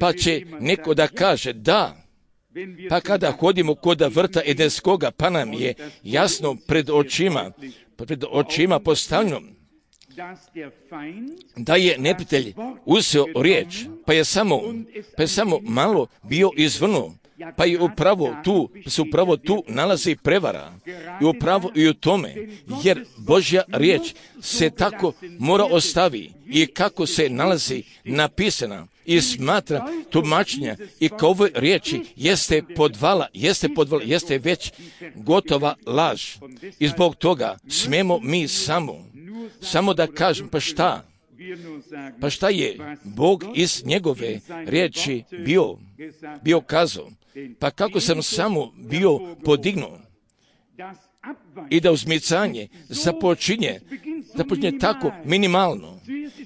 pa će neko da kaže da, pa kada hodimo kod vrta Edenskoga, pa nam je jasno pred očima postavljeno da je neprijatelj uzeo riječ, pa je samo malo bio izvrnuo, pa je upravo tu nalazi prevara. I upravo i u tome, jer Božja riječ se tako mora ostavi i kako se nalazi napisana i smatra tumačenja i kao ovoj riječi jeste podvala, jeste već gotova laž. I zbog toga smemo mi samo da kažem, pa šta je Bog iz njegove riječi bio kazao, pa kako sam samo bio podignuo i da uzmicanje započinje tako minimalno.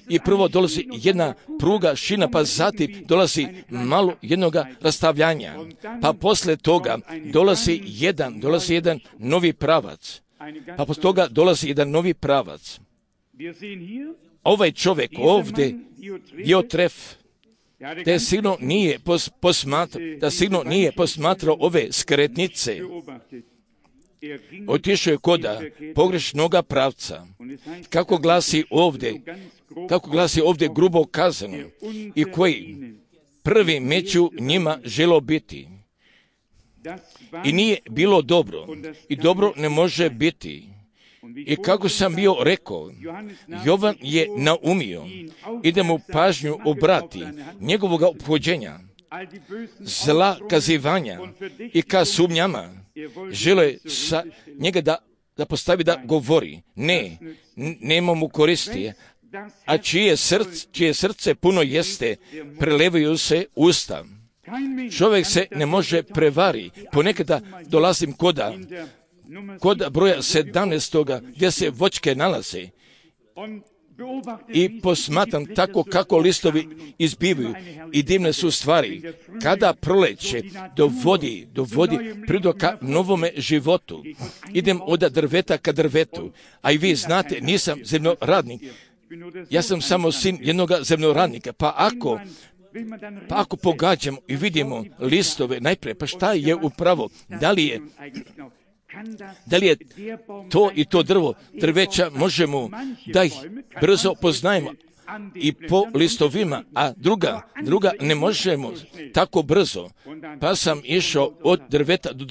I prvo dolazi jedna pruga šina, pa zatim dolazi malo jednoga rastavljanja, pa posle toga dolazi jedan novi pravac, pa posle toga dolazi jedan novi pravac. Ovaj čovjek ovdje, Diotref, da sigurno nije posmatrao ove skretnice. Otišao je koda pogrešnoga pravca. Kako glasi ovdje grubo kazano, i koji prvi među njima želo biti. I nije bilo dobro, i dobro ne može biti. I kako sam bio rekao, Jovan je naumio i da mu pažnju obrati njegovog ophođenja, zla kazivanja i ka sumnjama, žele sa njega da postavi da govori. Nema mu koristi, a čije srce puno jeste, prelevaju se usta. Čovjek se ne može prevari. Ponekada dolazim kod broja 17. gdje se voćke nalaze i posmatram tako kako listovi izbivaju i divne su stvari. Kada proleće dovodi prirodu ka novome životu. Idem od drveta ka drvetu, a i vi znate, nisam zemljoradnik, ja sam samo sin jednog zemljoradnika, pa ako pogađamo i vidimo listove najprije, pa šta je upravo, da li je to i to drveća, možemo da ih brzo poznajemo i po listovima, a druga ne možemo tako brzo. Pa sam išao od drveta do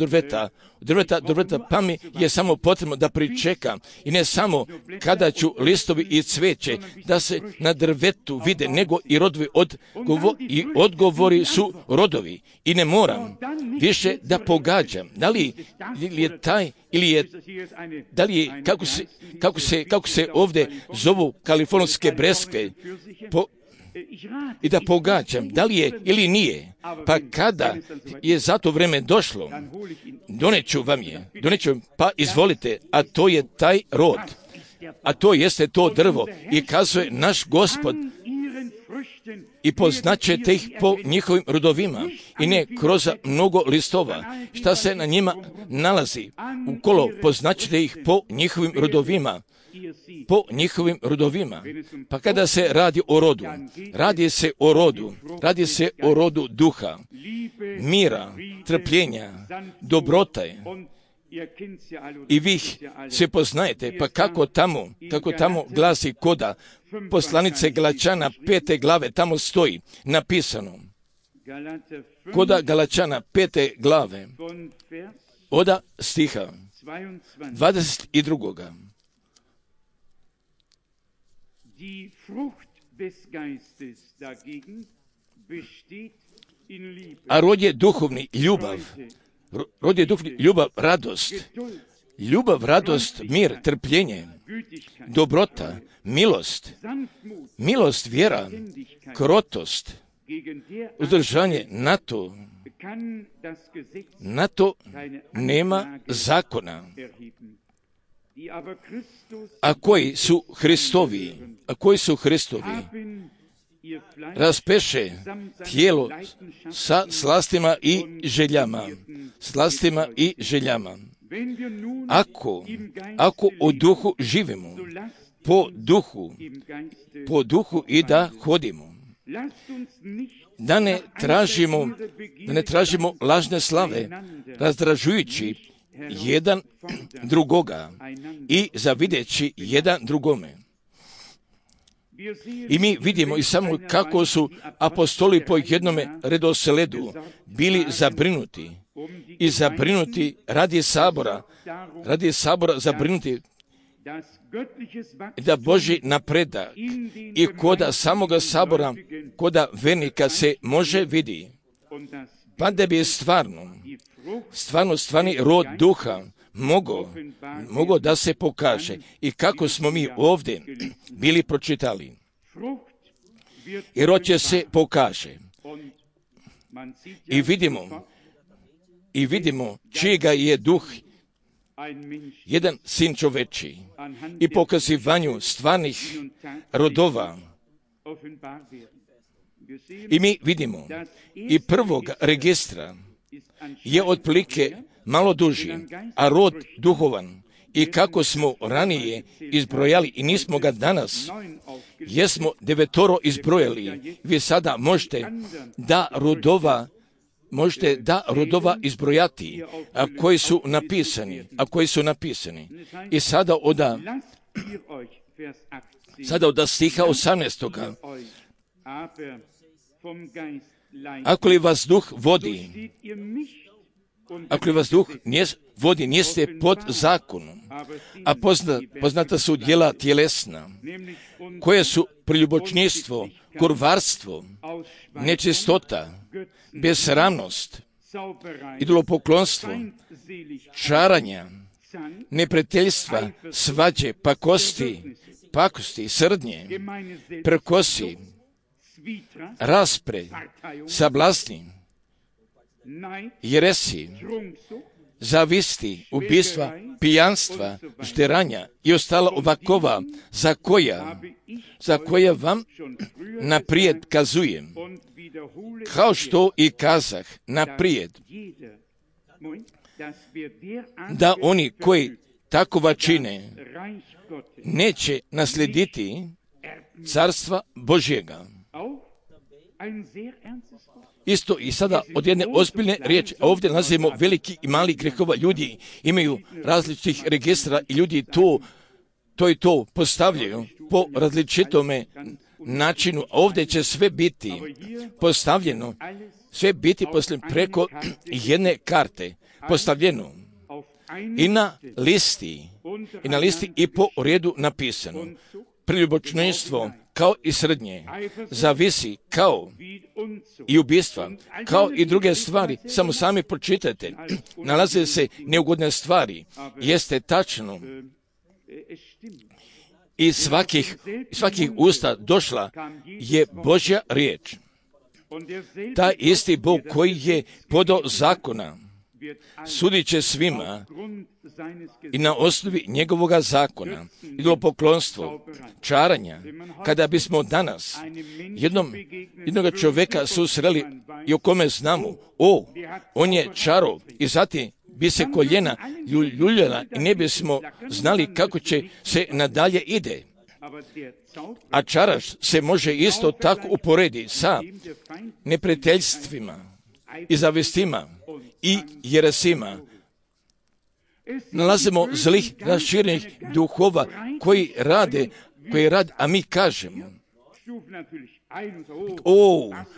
drveta, pa mi je samo potrebno da pričekam, i ne samo kada ću listovi i cveće da se na drvetu vide, nego i rodovi i odgovori su rodovi, i ne moram više da pogađam da li je taj ili je, da li je, kako se ovdje zovu kalifornijske breskve, i da pogađam da li je ili nije. Pa kada je za to vreme došlo, doneću vam, pa izvolite, a to je taj rod, a to jeste to drvo, i kazuje naš Gospod, i poznaćete ih po njihovim rodovima, i ne kroz mnogo listova, šta se na njima nalazi ukolo, poznaćete ih po njihovim rodovima. Pa kada se radi o rodu, radi se o rodu duha, mira, trpljenja, dobrote I vi se poznajete, pa kako tamo glasi koda poslanice Galačana 5. glave, tamo stoji napisano. Koda Galačana 5. glave, oda stiha 22. A rod je duhovni ljubav. Rod je duhovni ljubav, radost. Ljubav, radost, mir, trpljenje, dobrota, milost, vjera, krotost, uzdržanje. Na to nema zakona. A koji su Hristovi, raspeše tijelo sa slastima i željama. Ako u duhu živimo, po duhu i da hodimo, da ne tražimo lažne slave, razdražujući jedan drugoga i zavideći jedan drugome. I mi vidimo i samo kako su apostoli po jednome redosledu bili zabrinuti radi sabora zabrinuti da Božji napredak i koda samoga sabora, koda vernika se može vidi, pa da bi stvarni rod duha mogo da se pokaže. I kako smo mi ovdje bili pročitali. I rod će se pokaže. I vidimo čijega je duh jedan sin čoveči i pokazivanju stvarnih rodova. I mi vidimo i prvog registra je otprilike malo duži, a rod duhovan. I kako smo ranije izbrojali i nismo ga danas, jesmo 9 izbrojali. Vi sada možete da rodova izbrojati, a koji su napisani. I sada od stiha 18. Ako li vas duh vodi, niste pod zakonom, a poznata su djela tjelesna, koje su preljubočništvo, kurvarstvo, nečistota, besramnost, idolopoklonstvo, čaranja, neprijateljstva, svađe, pakosti, srdnje, prkosi, raspre, sablasni, jeresi, zavisti, ubistva, pijanstva, žderanja i ostala ovakova, za koja vam naprijed kazujem, kao što i kazah naprijed, da oni koji takova čine neće naslijediti carstva Božjega. Isto i sada od jedne ozbiljne riječi, a ovdje nalazimo veliki i mali grehova. Ljudi imaju različitih registra i ljudi to postavljaju po različitome načinu. A ovdje će sve biti postavljeno, preko jedne karte postavljeno i na listi i po redu napisano. Preljubočništvo kao i srdnje, zavisi kao i ubistva, kao i druge stvari, samo sami pročitajte, nalaze se neugodne stvari, jeste tačno. Iz svakih usta došla je Božja riječ. Taj isti Bog koji je podao zakona, sudit će svima i na osnovi njegovoga zakona, idolopoklonstvo, čaranja. Kada bismo danas jednoga čovjeka susreli i o kome znamo, on je čaro, i zatim bi se koljena ljuljala i ne bismo znali kako će se nadalje ide. A čaraš se može isto tako uporediti sa neprijateljstvima i zavistima i jeresima. nalazimo zlih raširenih duhova koji rade, a mi kažemo,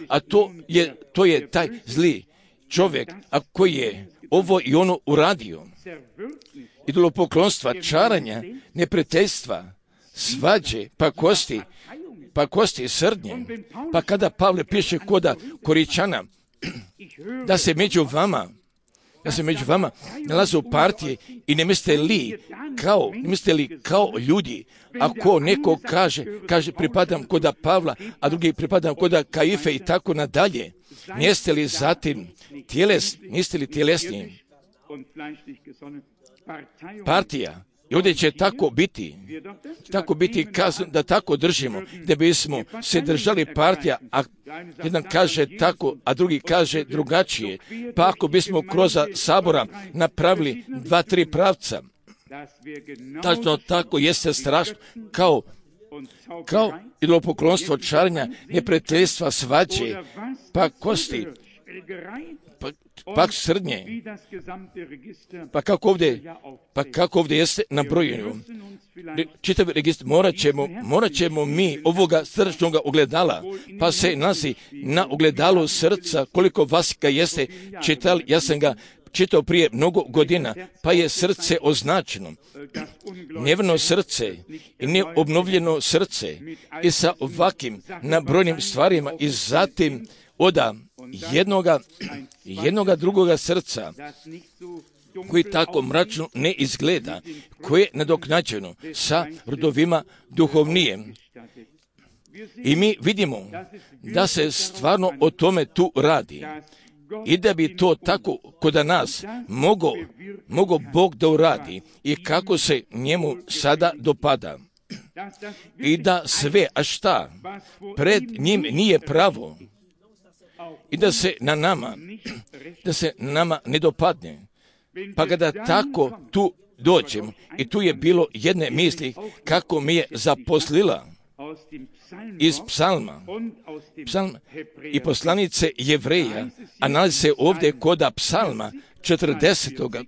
a to je taj zli čovjek, a koji je ovo i ono uradio. Idolopoklonstva, čaranja, neprijateljstva, svađe, pakosti, srdnje. Pa kada Pavle piše koda Koričana, da se među vama nalaze partije i ne mislite li kao ljudi, ako neko kaže pripadam koda Pavla, a drugi pripadam koda Kaife i tako nadalje, niste li zatim tjelesni partija? I ovdje će tako biti kazano da tako držimo, da bismo se držali partija, a jedan kaže tako, a drugi kaže drugačije. Pa ako bismo kroz sabora napravili 2-3 pravca, tačno tako jeste strašno, kao idolopoklonstvo, čarenja, neprijateljstva, svađe, pakosti, pak srdnje, pa kako ovdje jeste nabrojeno. Čitav registar morat ćemo mi ovoga srčnog ogledala, pa se nalazi na ogledalu srca, koliko vas ga jeste čitali, ja sam ga čitao prije mnogo godina, pa je srce označeno. Neverno srce i neobnovljeno srce i sa ovakvim nabrojenim stvarima i zatim oda jednoga drugoga srca koji tako mračno ne izgleda, koje je nadoknađeno sa rodovima duhovnije. I mi vidimo da se stvarno o tome tu radi. I da bi to tako kod nas mogo Bog da uradi i kako se njemu sada dopada. I da sve, a šta, pred njim nije pravo i da se na nama ne dopadne. Pa kada tako tu dođem, i tu je bilo jedne misli kako mi je zaposlila iz psalma i poslanice Jevreja, a nalazi se ovdje koda psalma 40.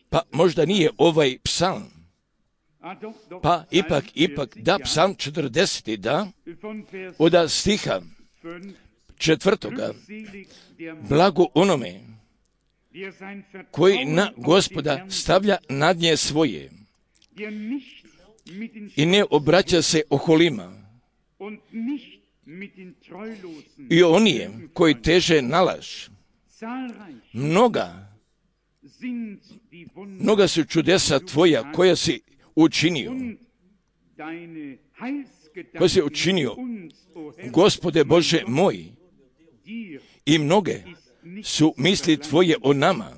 Pa možda nije ovaj psalm. Pa ipak, da, psalm 40. da, od stiha 4. Blago onome koji na Gospoda stavlja nadnje svoje i ne obraća se oholima i onije koji teže na laž. Mnoga su čudesa tvoja koja si učinio, Gospode Bože moj, i mnoge su misli tvoje o nama.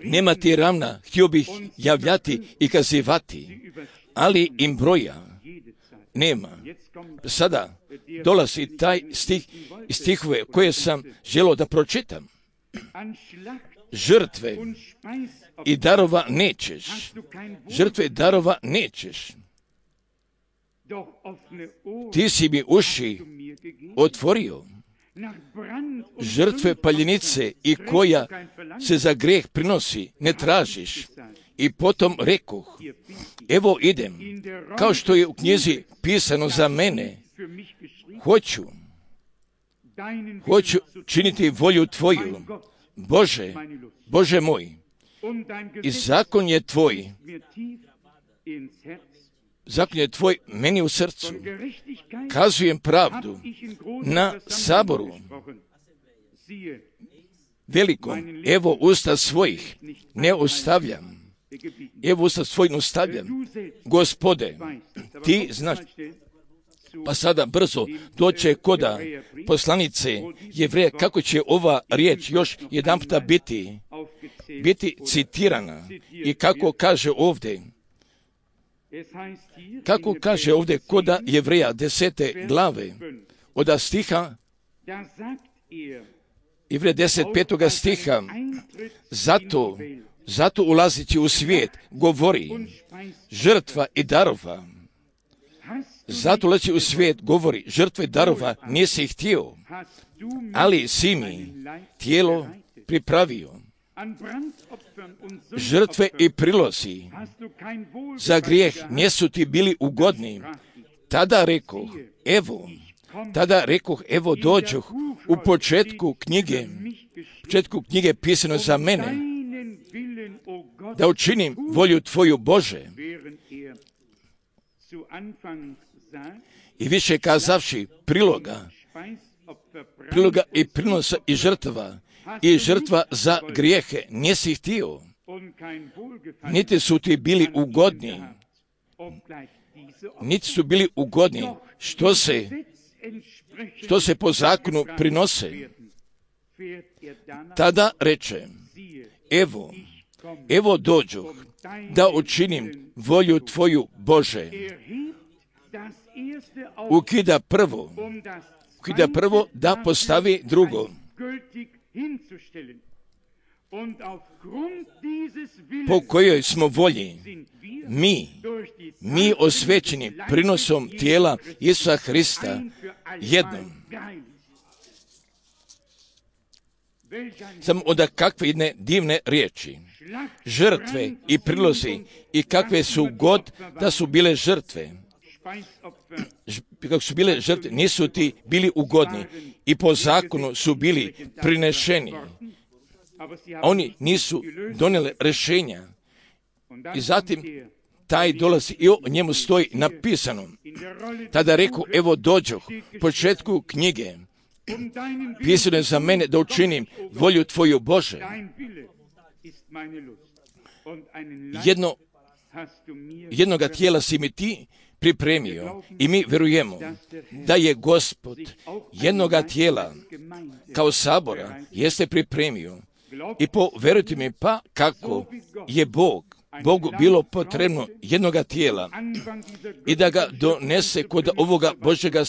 Nema ti ravna, htio bih javljati i kazivati, ali im broja nema. Sada dolazi taj stihove koje sam želio da pročitam. Žrtve i darova nećeš. Ti si mi uši otvorio. Žrtve paljenice i koja se za greh prinosi ne tražiš. I potom rekoh, evo idem, kao što je u knjizi pisano za mene, hoću činiti volju tvoju, Bože moj, i zakon je tvoj meni u srcu. Kazujem pravdu na saboru velikom, evo usta svojih ne ostavljam. Gospode, ti znaš. Pa sada brzo doće koda poslanice Jevreja, kako će ova riječ još jedan puta biti citirana i kako kaže ovdje koda Jevreja 10. glave od stiha Jevreja 10. stiha, zato ulazići u svijet govori žrtva i darova Zato ulazi u svijet, govori, žrtve darova nisi htio, ali si mi tijelo pripravio. Žrtve i prilozi za grijeh nisu ti bili ugodni. Tada rekoh, evo dođoh. U početku knjige pisano za mene, da učinim volju tvoju, Bože. I više kazavši priloga i prinosa i žrtva za grijehe nisi htio, niti su ti bili ugodni, što se po zakonu prinose. Tada reče, evo dođoh, da učinim volju tvoju, Bože. Ukida prvo da postavi drugo. Po kojoj smo volji mi osvećeni prinosom tijela Isusa Hrista jednom. Samo onda kakve jedne divne riječi. Žrtve i prilozi i kakve su god da su bile žrtve. Kako su bile žrtve, nisu ti bili ugodni i po zakonu su bili prinešeni. Oni nisu donijeli rješenja. I zatim taj dolazi i o njemu stoji napisano. Tada reku, evo dođoh, početku knjige. Pisano je za mene da učinim volju tvoju, Bože. Jednoga tijela si mi ti pripremio i mi vjerujemo da je Gospod jednoga tijela kao sabora jeste pripremio. I povjerujte mi pa kako je Bogu bilo potrebno jednoga tijela i da ga donese kod ovoga Božjega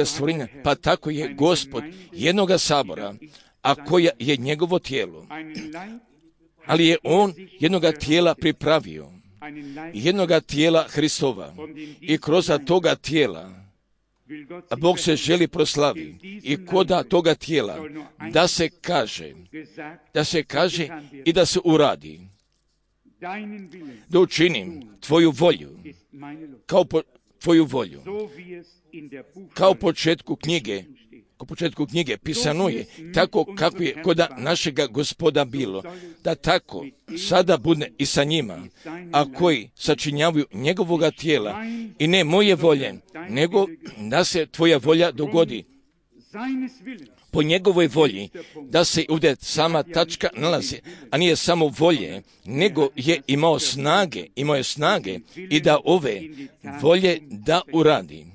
stvorenja, pa tako je Gospod jednoga sabora, a koja je njegovo tijelo. Ali je on jednoga tijela pripravio, jednoga tijela Hristova, i kroz toga tijela Bog se želi proslavi i koda toga tijela da se kaže i da se uradi. Da učinim tvoju volju, tvoju volju. Kao početku knjige pisano je, tako kako je kod našega Gospoda bilo, da tako sada bude i sa njima, a koji sačinjavaju njegovoga tijela, i ne moje volje, nego da se tvoja volja dogodi. Po njegovoj volji, da se ovdje sama tačka nalazi, a nije samo volje, nego je imao snage i da ove volje da uradi.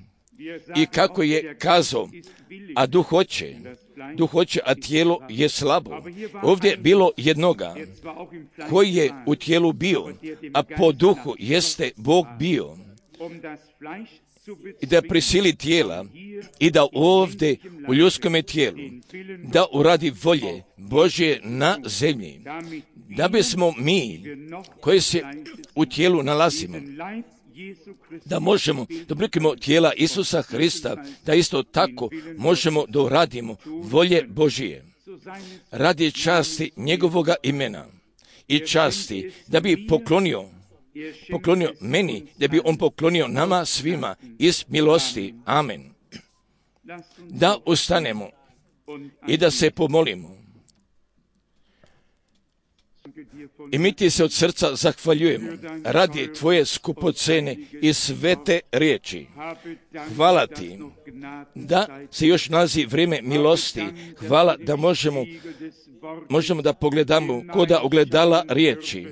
I kako je kazao, a duh hoće, a tijelo je slabo. Ovdje je bilo jednoga koji je u tijelu bio, a po duhu jeste Bog bio. I da prisili tijela i da ovdje u ljudskom tijelu da uradi volje Božje na zemlji, da bismo mi koji se u tijelu nalazimo, da možemo da oblikujemo tijela Isusa Hrista, da isto tako možemo da uradimo volje Božije radi časti njegovoga imena i časti, da bi poklonio meni, da bi on poklonio nama svima iz milosti. Amen. Da ustanemo i da se pomolimo. I mi ti se od srca zahvaljujemo radi tvoje skupocene i svete riječi. Hvala ti da se još nalazi vrijeme milosti. Hvala da možemo da pogledamo koda ogledala riječi.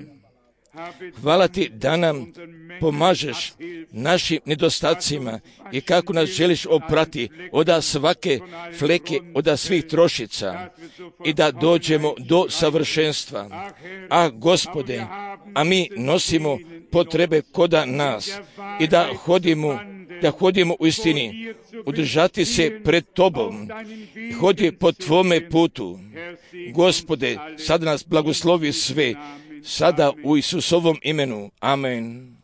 Hvala ti da nam pomažeš našim nedostacima i kako nas želiš oprati od svake fleke, od svih trošica i da dođemo do savršenstva. A Gospode, a mi nosimo potrebe koda nas i da hodimo u istini, udržati se pred tobom, hodi po tvome putu. Gospode, sada nas blagoslovi sve, sada u Isusovom imenu. Amen.